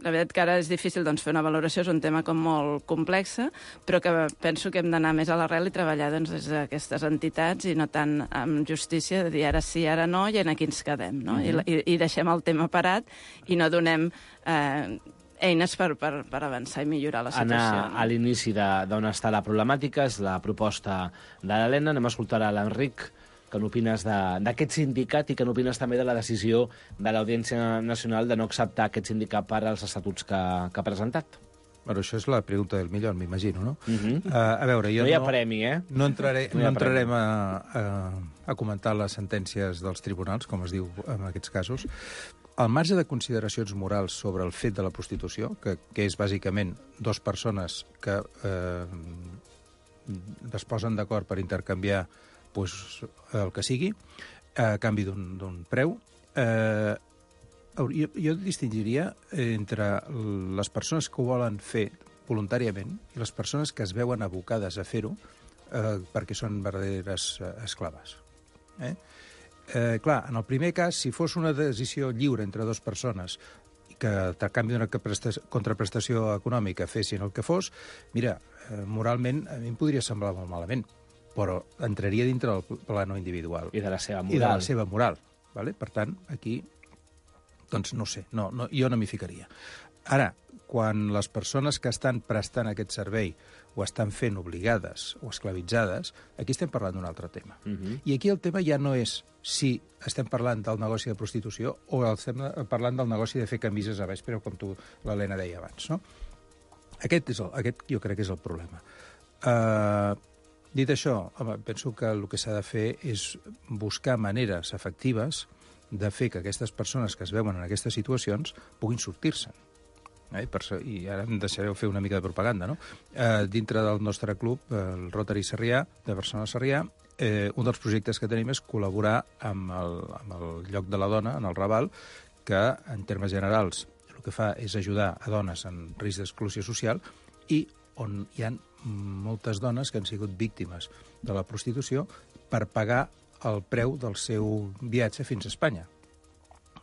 la veritat que ara és difícil fer una valoració, és un tema com molt complex, però que penso que hem d'anar més a l'arrel i treballar des d'aquestes entitats i no tant amb justícia, de dir ara sí, ara no, i aquí ens quedem, no? I deixem el tema parat i no donem eines per avançar i millorar la situació. Anar a l'inici d'on està la problemàtica, és la proposta de l'Helena. Anem a escoltar a l'Enric, que n'opines d'aquest sindicat i que n'opines també de la decisió de l'Audiència Nacional de no acceptar aquest sindicat per als estatuts que ha presentat. Bueno, això és la pregunta del millor, m'imagino, no? A veure, jo no hi ha premi, No entrarem a comentar les sentències dels tribunals, com es diu en aquests casos. Al marge de consideracions morals sobre el fet de la prostitució, que és bàsicament dues persones que es posen d'acord per intercanviar el que sigui, a canvi d'un preu, jo distingiria entre les persones que ho volen fer voluntàriament i les persones que es veuen abocades a fer-ho perquè són verdaderes esclaves. Clar, en el primer cas, si fos una decisió lliure entre dues persones i que a canvi d'una contraprestació econòmica fessin el que fos, mira, moralment a mi em podria semblar molt malament, però entraria dintre del plano individual. I de la seva moral. I de la seva moral. Vale? Per tant, aquí, doncs no sé, jo no m'hi ficaria. Ara, quan les persones que estan prestant aquest servei ho estan fent obligades o esclavitzades, aquí estem parlant d'un altre tema. I aquí el tema ja no és si estem parlant del negoci de prostitució o estem parlant del negoci de fer camises a vespre, com l'Helena deia abans, no? Aquest jo crec que és el problema. Dit això, penso que el que s'ha de fer és buscar maneres efectives de fer que aquestes persones que es veuen en aquestes situacions puguin sortir-se'n. I ara em deixareu fer una mica de propaganda, no? Dintre del nostre club, el Rotary Sarrià, de Barcelona Sarrià, un dels projectes que tenim és col·laborar amb el Lloc de la Dona, en el Raval, que, en termes generals, el que fa és ajudar a dones en risc d'exclusió social i on hi ha moltes dones que han sigut víctimes de la prostitució per pagar el preu del seu viatge fins a Espanya.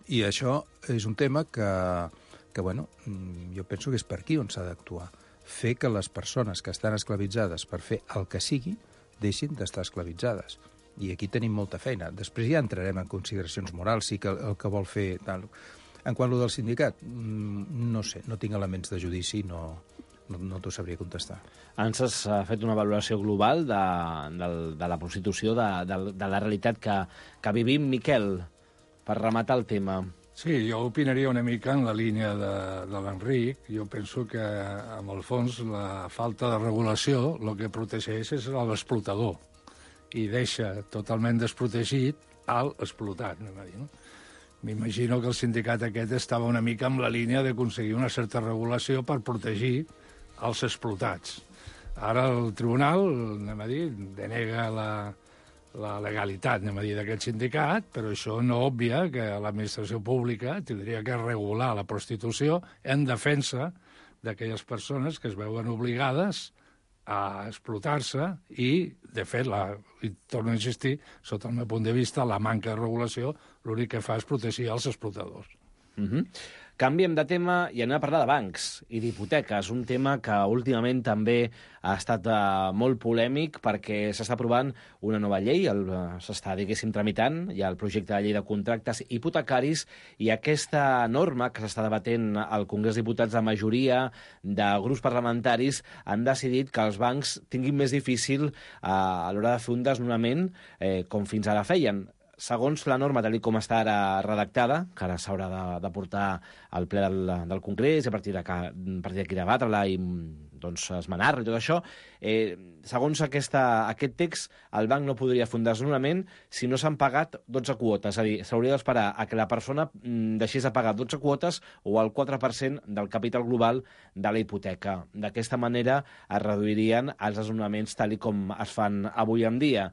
I això és un tema que bueno, jo penso que és per aquí on s'ha d'actuar. Fer que les persones que estan esclavitzades per fer el que sigui deixin d'estar esclavitzades. I aquí tenim molta feina. Després ja entrarem en consideracions morals, sí que el que vol fer... Tal. En quant a del sindicat, no sé, no tinc elements de judici, no t'ho sabria contestar. Ens has fet una valoració global de la prostitució, de la realitat que vivim. Miquel, per rematar el tema... Sí, jo opinaria una mica en la línia de l'Enric. Jo penso que, en el fons, la falta de regulació el que protegeix és l'explotador i deixa totalment desprotegit l'explotat, anem a dir, no? M'imagino que el sindicat aquest estava una mica amb la línia d'aconseguir una certa regulació per protegir els explotats. Ara el tribunal, anem a dir, denega la legalitat, anem a dir, d'aquest sindicat, però això no obvia que l'administració pública tindria que regular la prostitució en defensa d'aquelles persones que es veuen obligades a explotar-se i, de fet, i torno a insistir, sota el meu punt de vista, la manca de regulació l'únic que fa és protegir els explotadors. Canviem de tema i anem a parlar de bancs i d'hipoteques, un tema que últimament també ha estat molt polèmic perquè s'està aprovant una nova llei, s'està, diguéssim, tramitant, hi ha el projecte de llei de contractes hipotecaris i aquesta norma que s'està debatent al Congrés de Diputats, la majoria de grups parlamentaris han decidit que els bancs tinguin més difícil a l'hora de fer un desnonament com fins ara feien. Segons la norma, tal com està ara redactada, que ara s'haurà de portar al ple del Congrés, a partir d'aquí debatre-la i doncs, esmenar-la i tot això, segons aquest text, el banc no podria fer un desnonament si no s'han pagat 12 quotes. És a dir, s'hauria d'esperar a que la persona deixés de pagar 12 quotes o el 4% del capital global de la hipoteca. D'aquesta manera es reduirien els desnonaments tal com es fan avui en dia.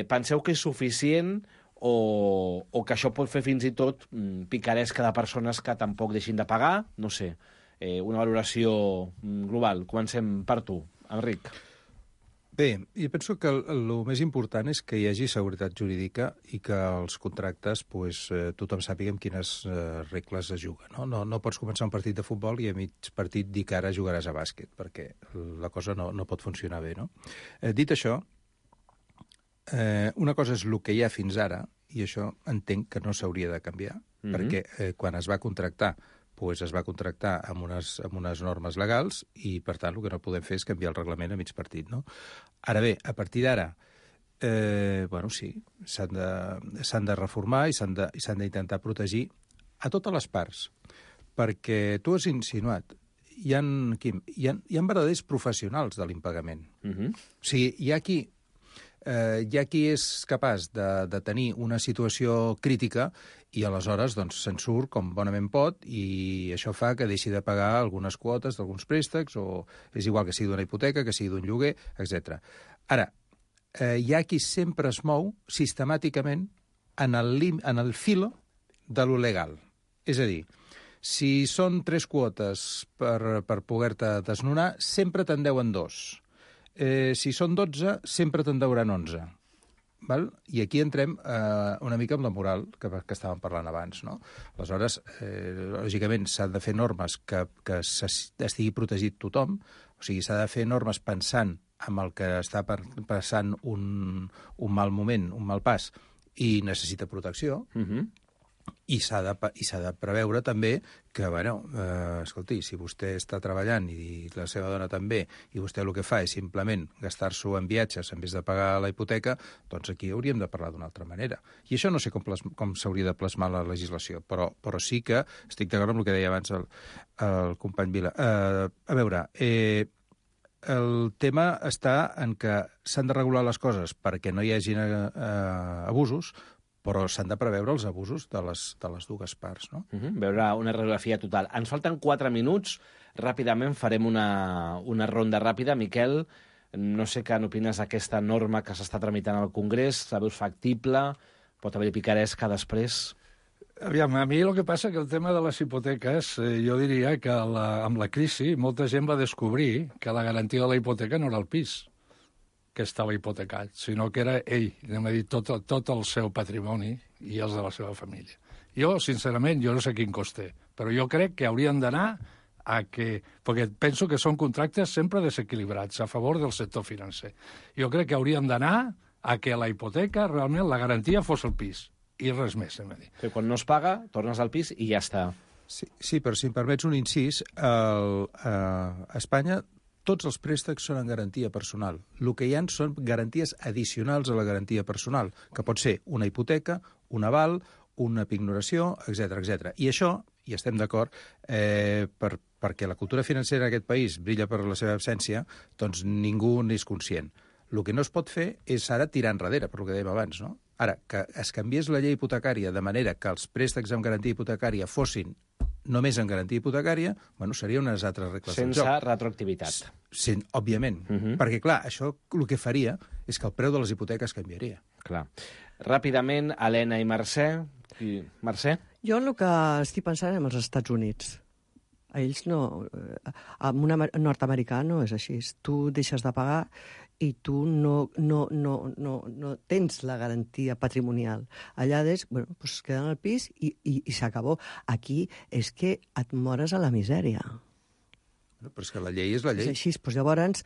Penseu que és suficient o que això pot fer fins i tot picaresca de persones que tampoc deixin de pagar? No sé, una valoració global. Comencem per tu, Enric. Bé, jo penso que el més important és que hi hagi seguretat jurídica i que els contractes tothom sàpiga amb quines regles es juga. No pots començar un partit de futbol i a mig partit dir que ara jugaràs a bàsquet, perquè la cosa no pot funcionar bé. No? Dit això, una cosa és el que hi ha fins ara, i això entenc que no s'hauria de canviar, perquè quan es va contractar, es va contractar amb unes normes legals i, per tant, el que no podem fer és canviar el reglament a mig partit. No? Ara bé, a partir d'ara, sí, s'han de reformar i s'han d'intentar protegir a totes les parts, perquè tu has insinuat, hi ha verdaders professionals de l'impagament. O sigui, hi ha qui és capaç de tenir una situació crítica i aleshores se'n surt com bonament pot i això fa que deixi de pagar algunes quotes d'alguns préstecs o és igual que sigui d'una hipoteca, que sigui d'un lloguer, etc. Ara, hi ha qui sempre es mou sistemàticament en el filo de lo legal. És a dir, si són 3 quotes per poder-te desnonar, sempre te'n deuen 2. Si són 12, sempre te'n deuran 11. Val? I aquí entrem una mica amb la moral que estàvem parlant abans. No? Aleshores, lògicament, s'han de fer normes que estigui protegit tothom, o sigui, s'ha de fer normes pensant en el que està passant un mal moment, un mal pas, i necessita protecció, i s'ha de preveure també que, escolti, si vostè està treballant i la seva dona també, i vostè el que fa és simplement gastar-s'ho en viatges en vez de pagar la hipoteca, doncs aquí hauríem de parlar d'una altra manera. I això no sé com s'hauria de plasmar la legislació, però sí que estic d'acord amb el que deia abans el company Vila. A veure, el tema està en que s'han de regular les coses perquè no hi hagi abusos, però s'han de preveure els abusos de les dues parts. No? Veure una radiografia total. Ens falten 4 minuts. Ràpidament farem una ronda ràpida. Miquel, no sé què n'opines d'aquesta norma que s'està tramitant al Congrés. La veus factible? Pot haver-hi picaresca després? Aviam, a mi el que passa que el tema de les hipoteques, jo diria que amb la crisi molta gent va descobrir que la garantia de la hipoteca no era el pis que estava hipotecat, sinó que era ell, anem a dir, tot el seu patrimoni i els de la seva família. Jo, sincerament, jo no sé quin cost té, però jo crec que haurien d'anar a que... Perquè penso que són contractes sempre desequilibrats a favor del sector financer. Jo crec que haurien d'anar a que la hipoteca, realment, la garantia fos el pis. I res més, hem de dir. Que quan no es paga, tornes al pis i ja està. Sí, però si em permets un incís, a Espanya tots els préstecs són en garantia personal. El que hi ha són garanties addicionals a la garantia personal, que pot ser una hipoteca, un aval, una pignoració, etc. I això, i estem d'acord, perquè la cultura financera en aquest país brilla per la seva absència, doncs ningú n'és conscient. El que no es pot fer és ara tirar enrere, per el que dèiem abans, no? Ara, que es canviés la llei hipotecària de manera que els préstecs amb garantia hipotecària fossin només en garantia hipotecària, bueno, seria unes altres regles del joc. Sense retroactivitat. Òbviament, perquè, clar, això el que faria és que el preu de les hipoteques canviaria. Clar. Ràpidament, Helena i Mercè. Mercè? Jo el que estic pensant en els Estats Units. A ells no... Amb un nord-americà no és així. Tu deixes de pagar i tu no tens la garantia patrimonial. Allà es queden al pis i s'acabó. Aquí és que et mores a la misèria. Però és que la llei és la llei. És així, doncs llavors,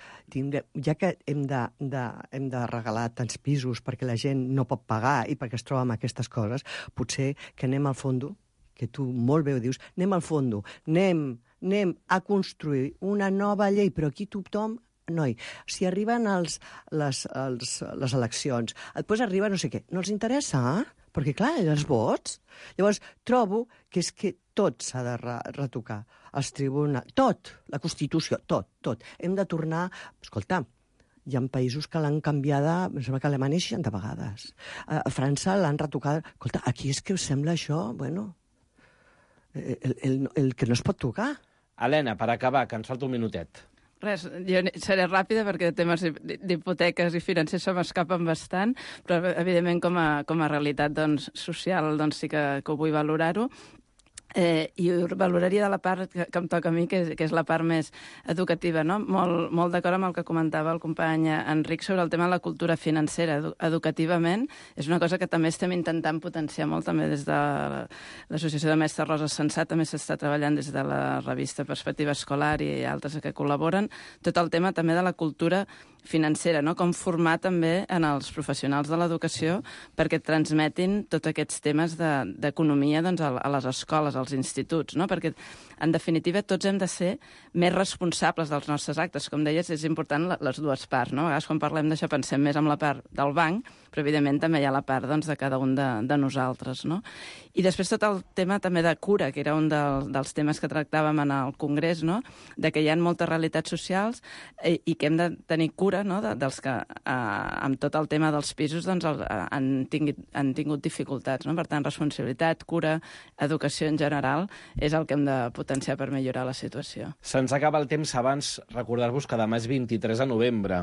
ja que hem de regalar tants pisos perquè la gent no pot pagar i perquè es troba amb aquestes coses, potser que anem al fondo, que tu molt bé ho dius, anem al fondo, anem a construir una nova llei, però aquí tothom... Noi, si arriben les eleccions, després arriba no sé què, no els interessa, perquè clar, els vots. Llavors, trobo que és que tot s'ha de retocar. Els tribunals, tot, la Constitució, tot. Hem de tornar... Escolta, hi ha països que l'han canviada, em sembla que a Alemanya 60 vegades. A França l'han retocada. Escolta, aquí és que us sembla això, bueno, el que no es pot tocar. Helena, per acabar, que ens falta un minutet. Res, jo seré ràpida perquè temes d'hipoteques i financers se m'escapen bastant, però evidentment com a realitat social sí que ho vull valorar-ho. I ho valoraria de la part que em toca a mi, que és la part més educativa, no? Molt d'acord amb el que comentava el company Enric sobre el tema de la cultura financera. Educativament és una cosa que també estem intentant potenciar molt, també des de l'Associació de Mestres Rosa Sensat, també s'està treballant des de la revista Perspectiva Escolar i altres que col·laboren, tot el tema també de la cultura financera, no? Com formar també en els professionals de l'educació perquè transmetin tots aquests temes d'economia a les escoles, als instituts, no? Perquè, en definitiva, tots hem de ser més responsables dels nostres actes. Com deies, és important les dues parts, no? A vegades, quan parlem d'això, pensem més en la part del banc, però, evidentment, també hi ha la part de cada un de nosaltres, no? I després tot el tema també de cura, que era un dels temes que tractàvem en el Congrés, no? De que hi ha moltes realitats socials i que hem de tenir cura, no? Dels que, amb tot el tema dels pisos, han tingut dificultats, no? Per tant, responsabilitat, cura, educació en general, és el que hem de potenciar per millorar la situació. Se'ns acaba el temps. Abans recordar-vos que demà és 23 de novembre.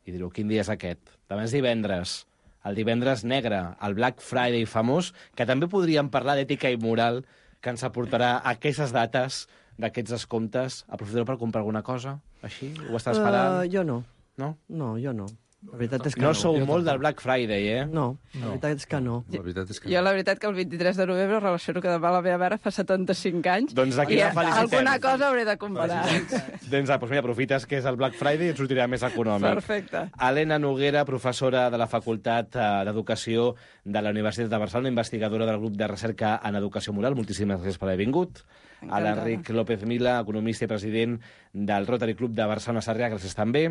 I direu, quin dia és aquest? Demà és divendres. El divendres negre, el Black Friday famós, que també podríem parlar d'ètica i moral, que ens aportarà aquestes dates d'aquests descomptes. Aprofitareu per comprar alguna cosa? Així? Ho estàs esperant? Jo no. No? No, jo no. La veritat és que no. No sou molt del Black Friday, eh? No, la veritat és que no. Jo la veritat que el 23 de novembre relaciono que demà la meva mare fa 75 anys doncs i alguna cosa hauré de comprar. Doncs mira, aprofites que és el Black Friday i et sortirà més econòmic. Perfecte. Helena Noguera, professora de la Facultat d'Educació de la Universitat de Barcelona, investigadora del grup de recerca en educació moral. Moltíssimes gràcies per haver vingut. A l'Enric López Mila, economista i president del Rotary Club de Barcelona Sarrià, gràcies també.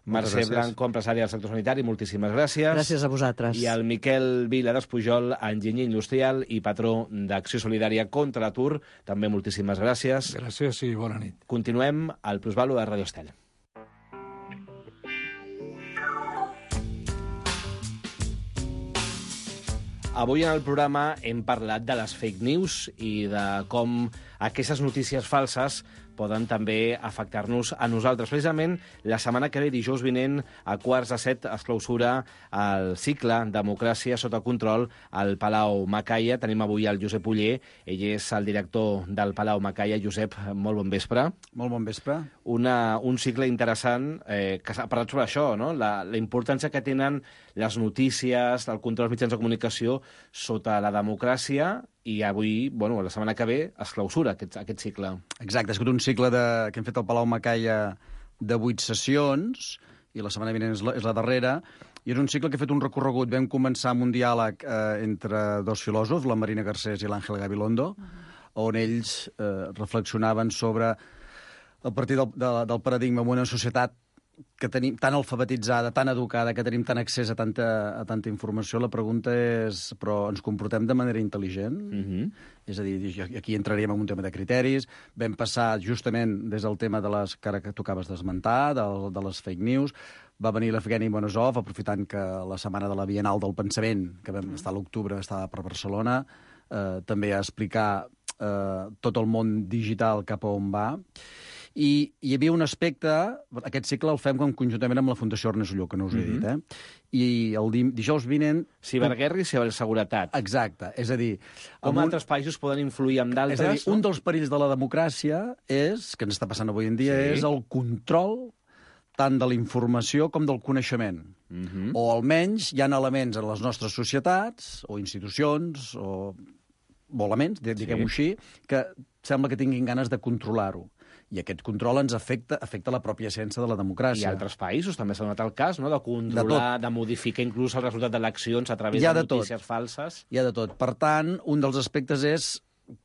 Mercè Blanco, empresària del sector sanitari, moltíssimes gràcies. Gràcies a vosaltres. I el Miquel Vila d'Espujol, enginyer industrial i patró d'Acció Solidària contra l'Atur, també moltíssimes gràcies. Gràcies i bona nit. Continuem al Plusvalor de Radio Estel. Avui en el programa hem parlat de les fake news i de com aquestes notícies falses poden també afectar-nos a nosaltres. Precisament, la setmana que ve, dijous vinent, a 6:45, es clausura el cicle Democràcia sota control al Palau Macaya. Tenim avui el Josep Oller, ell és el director del Palau Macaya. Josep, molt bon vespre. Molt bon vespre. Un cicle interessant que s'ha parlat sobre això, no? La importància que tenen les notícies, el control dels mitjans de comunicació sota la democràcia, i avui, la setmana que ve, es clausura aquest cicle. Exacte, ha sigut un cicle que hem fet al Palau Macaya de 8 sessions, i la setmana vinent és la darrera, i és un cicle que ha fet un recorregut. Vam començar amb un diàleg entre dos filòsofs, la Marina Garcés i l'Àngel Gabilondo, on ells reflexionaven sobre, a partir del paradigma d'una societat que tenim tan alfabetitzada, tan educada, que tenim tant accés a tanta informació, la pregunta és, però ens comportem de manera intel·ligent? És a dir, aquí entraríem en un tema de criteris. Vam passar justament des del tema de les que ara tu acabes d'esmentar, de les fake news. Va venir l'Evgeni Bonosov, aprofitant que la setmana de la Bienal del Pensament, que vam estar a l'octubre, estava per Barcelona, també a explicar tot el món digital cap a on va. I hi havia un aspecte, aquest cicle el fem conjuntament amb la Fundació Ernest Lluch, que no us he dit, i el dijous vinent... Ciberguerra i ciberseguretat. Exacte, és a dir... Com altres països poden influir en d'altres... És a dir, un dels perills de la democràcia és, que ens està passant avui en dia, és el control tant de la informació com del coneixement. O almenys hi ha elements en les nostres societats, o institucions, o elements, diguem-ho així, que sembla que tinguin ganes de controlar-ho. I aquest control ens afecta la pròpia essència de la democràcia. I altres països també s'ha donat el cas, no?, de controlar, de modificar inclús el resultat d'eleccions a través de notícies falses. Hi ha de tot. Per tant, un dels aspectes és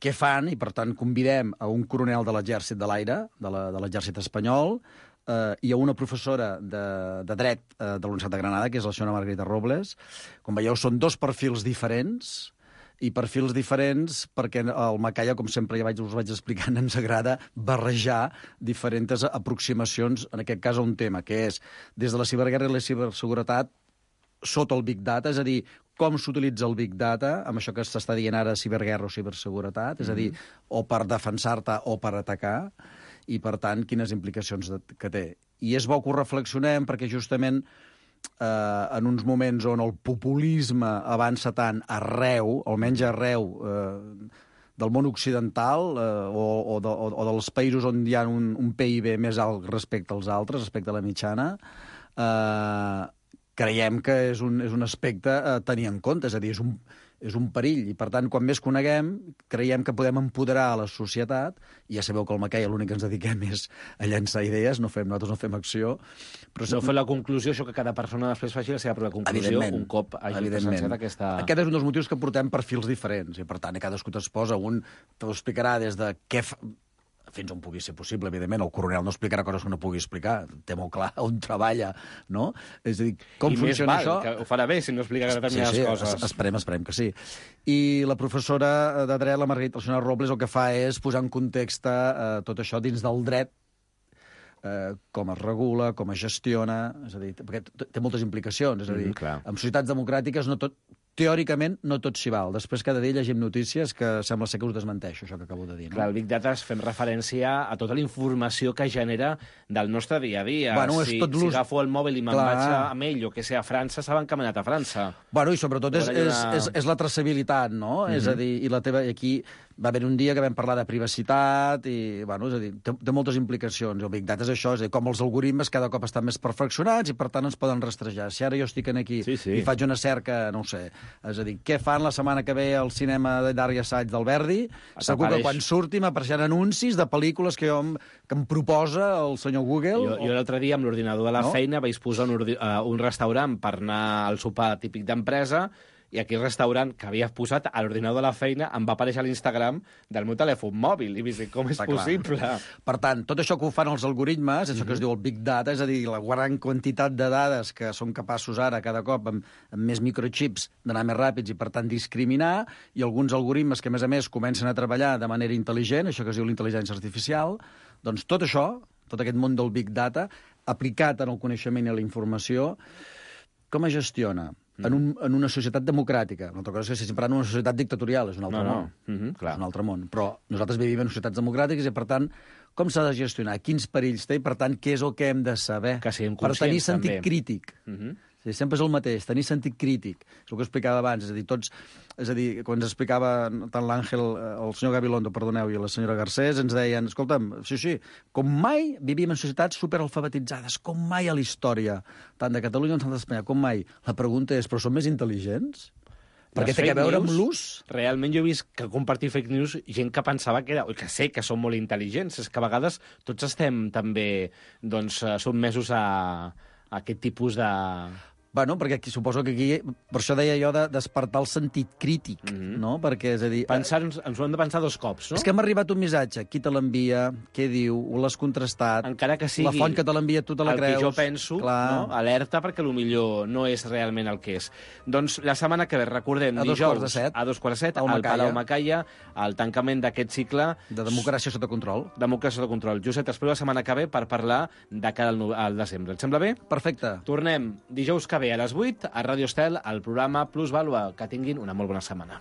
què fan, i per tant convidem a un coronel de l'Exèrcit de l'Aire, de l'Exèrcit espanyol, i a una professora de dret de la Universitat de Granada, que és la senyora Margarita Robles. Com veieu, són dos perfils diferents, i perfils diferents perquè al Macaya, com sempre us vaig explicant, ens agrada barrejar diferents aproximacions, en aquest cas a un tema, que és des de la ciberguerra i la ciberseguretat sota el Big Data, és a dir, com s'utilitza el Big Data, amb això que s'està dient ara ciberguerra o ciberseguretat, és a dir, o per defensar-te o per atacar, i per tant, quines implicacions que té. I és bo que ho reflexionem perquè justament en uns moments on el populisme avança tant arreu, almenys arreu del món occidental o dels països on hi ha un PIB més alt respecte als altres, respecte a la mitjana, creiem que és un aspecte a tenir en compte, és a dir, és un perill, i per tant, quan més coneguem, creiem que podem empoderar a la societat, i ja sabeu que al Macaya l'únic que ens dediquem és a llançar idees, nosaltres no fem acció. Però no fer la conclusió, això que cada persona després faci la seva pròpia conclusió, un cop hagi presenciat aquesta... Aquest és un dels motius que portem perfils diferents, i per tant, cadascú t'exposa, un t'ho explicarà des de què fins on pugui ser possible, evidentment. El coronel no explicarà coses que no pugui explicar. Té molt clar on treballa, no? És a dir, com funciona això? Que ho farà bé si no explica determinades coses. Esperem que sí. I la professora de dret, la Margarita, la senyora Robles, el que fa és posar en context tot això dins del dret, com es regula, com es gestiona, és a dir, perquè té moltes implicacions, és a dir, en societats democràtiques teòricament no tot s'hi val. Després cada dia llegim notícies que sembla ser que us desmenteixo, això que acabo de dir. No? Clar, el Big Data fem referència a tota la informació que genera del nostre dia a dia. Bueno, si agafo el mòbil i me'n vaig amb ell, o que sé, a França, saben que m'he anat a França. Bueno, i sobretot és la traçabilitat, no? És a dir, i aquí va haver un dia que vam parlar de privacitat i, bueno, és a dir, té moltes implicacions. El Big Data és això, és a dir, com els algoritmes cada cop estan més perfeccionats i, per tant, ens poden rastrejar. Si ara jo estic aquí i faig una cerca, no ho sé, és a dir, què fan la setmana que ve al cinema d'art i assaig del Verdi? Segur que quan surti m'apareixeran anuncis de pel·lícules que em proposa el senyor Google. Jo l'altre dia, amb l'ordinador de la feina, vaig posar un restaurant per anar al sopar típic d'empresa, i aquell restaurant que havia posat a l'ordinador de la feina em va aparèixer a l'Instagram del meu telèfon mòbil. I vaig dir, com és possible? Per tant, tot això que ho fan els algoritmes, això que es diu el Big Data, és a dir, la gran quantitat de dades que són capaços ara, cada cop, amb més microchips, d'anar més ràpids i, per tant, discriminar, i alguns algoritmes que, a més, comencen a treballar de manera intel·ligent, això que es diu l'intel·ligència artificial, doncs tot això, tot aquest món del Big Data, aplicat en el coneixement i la informació, com es gestiona? En una societat democràtica. Una altra cosa és que si sempre en una societat dictatorial, és un altre món. És un altre món. Però nosaltres vivim en societats democràtiques i, per tant, com s'ha de gestionar, quins perills té, i per tant, què és el que hem de saber que siguem per tenir conscients, sentit també. crític. Sí, sempre és el mateix, tenir sentit crític. És el que explicava abans, és a dir, quan ens explicava tant l'Àngel, el senyor Gabilondo, perdoneu, i la senyora Garcés, ens deien, escolta'm, sí, com mai vivim en societats superalfabetitzades, com mai a la història, tant de Catalunya com d'Espanya, com mai. La pregunta és, però som més intel·ligents? Perquè té a veure amb l'ús? Realment jo he vist que compartir fake news gent que pensava que sé que són molt intel·ligents, és que a vegades tots estem també sotmesos a aquest tipus de... Bueno, perquè aquí, suposo que aquí, per això deia jo de despertar el sentit crític, no? Perquè, és a dir... Ens ho hem de pensar 2 cops, no? És que m'ha arribat un missatge, qui te l'envia, què diu, ho l'has contrastat... Encara que sigui... La font que te l'envia, tu te la creus... El que jo penso, no? Alerta, perquè potser no és realment el que és. Doncs la setmana que ve, recordem, dijous, a 2:15, al Palau Macaya, el tancament d'aquest cicle... De democràcia sota control. Democràcia sota control. Josep, t'espero la setmana que ve per parlar de cara al desembre. Et sembla bé? Perfecte. Tornem dijous que ve a les 8 a Ràdio Estel, al programa Plusvàlua. Que tinguin una molt bona setmana.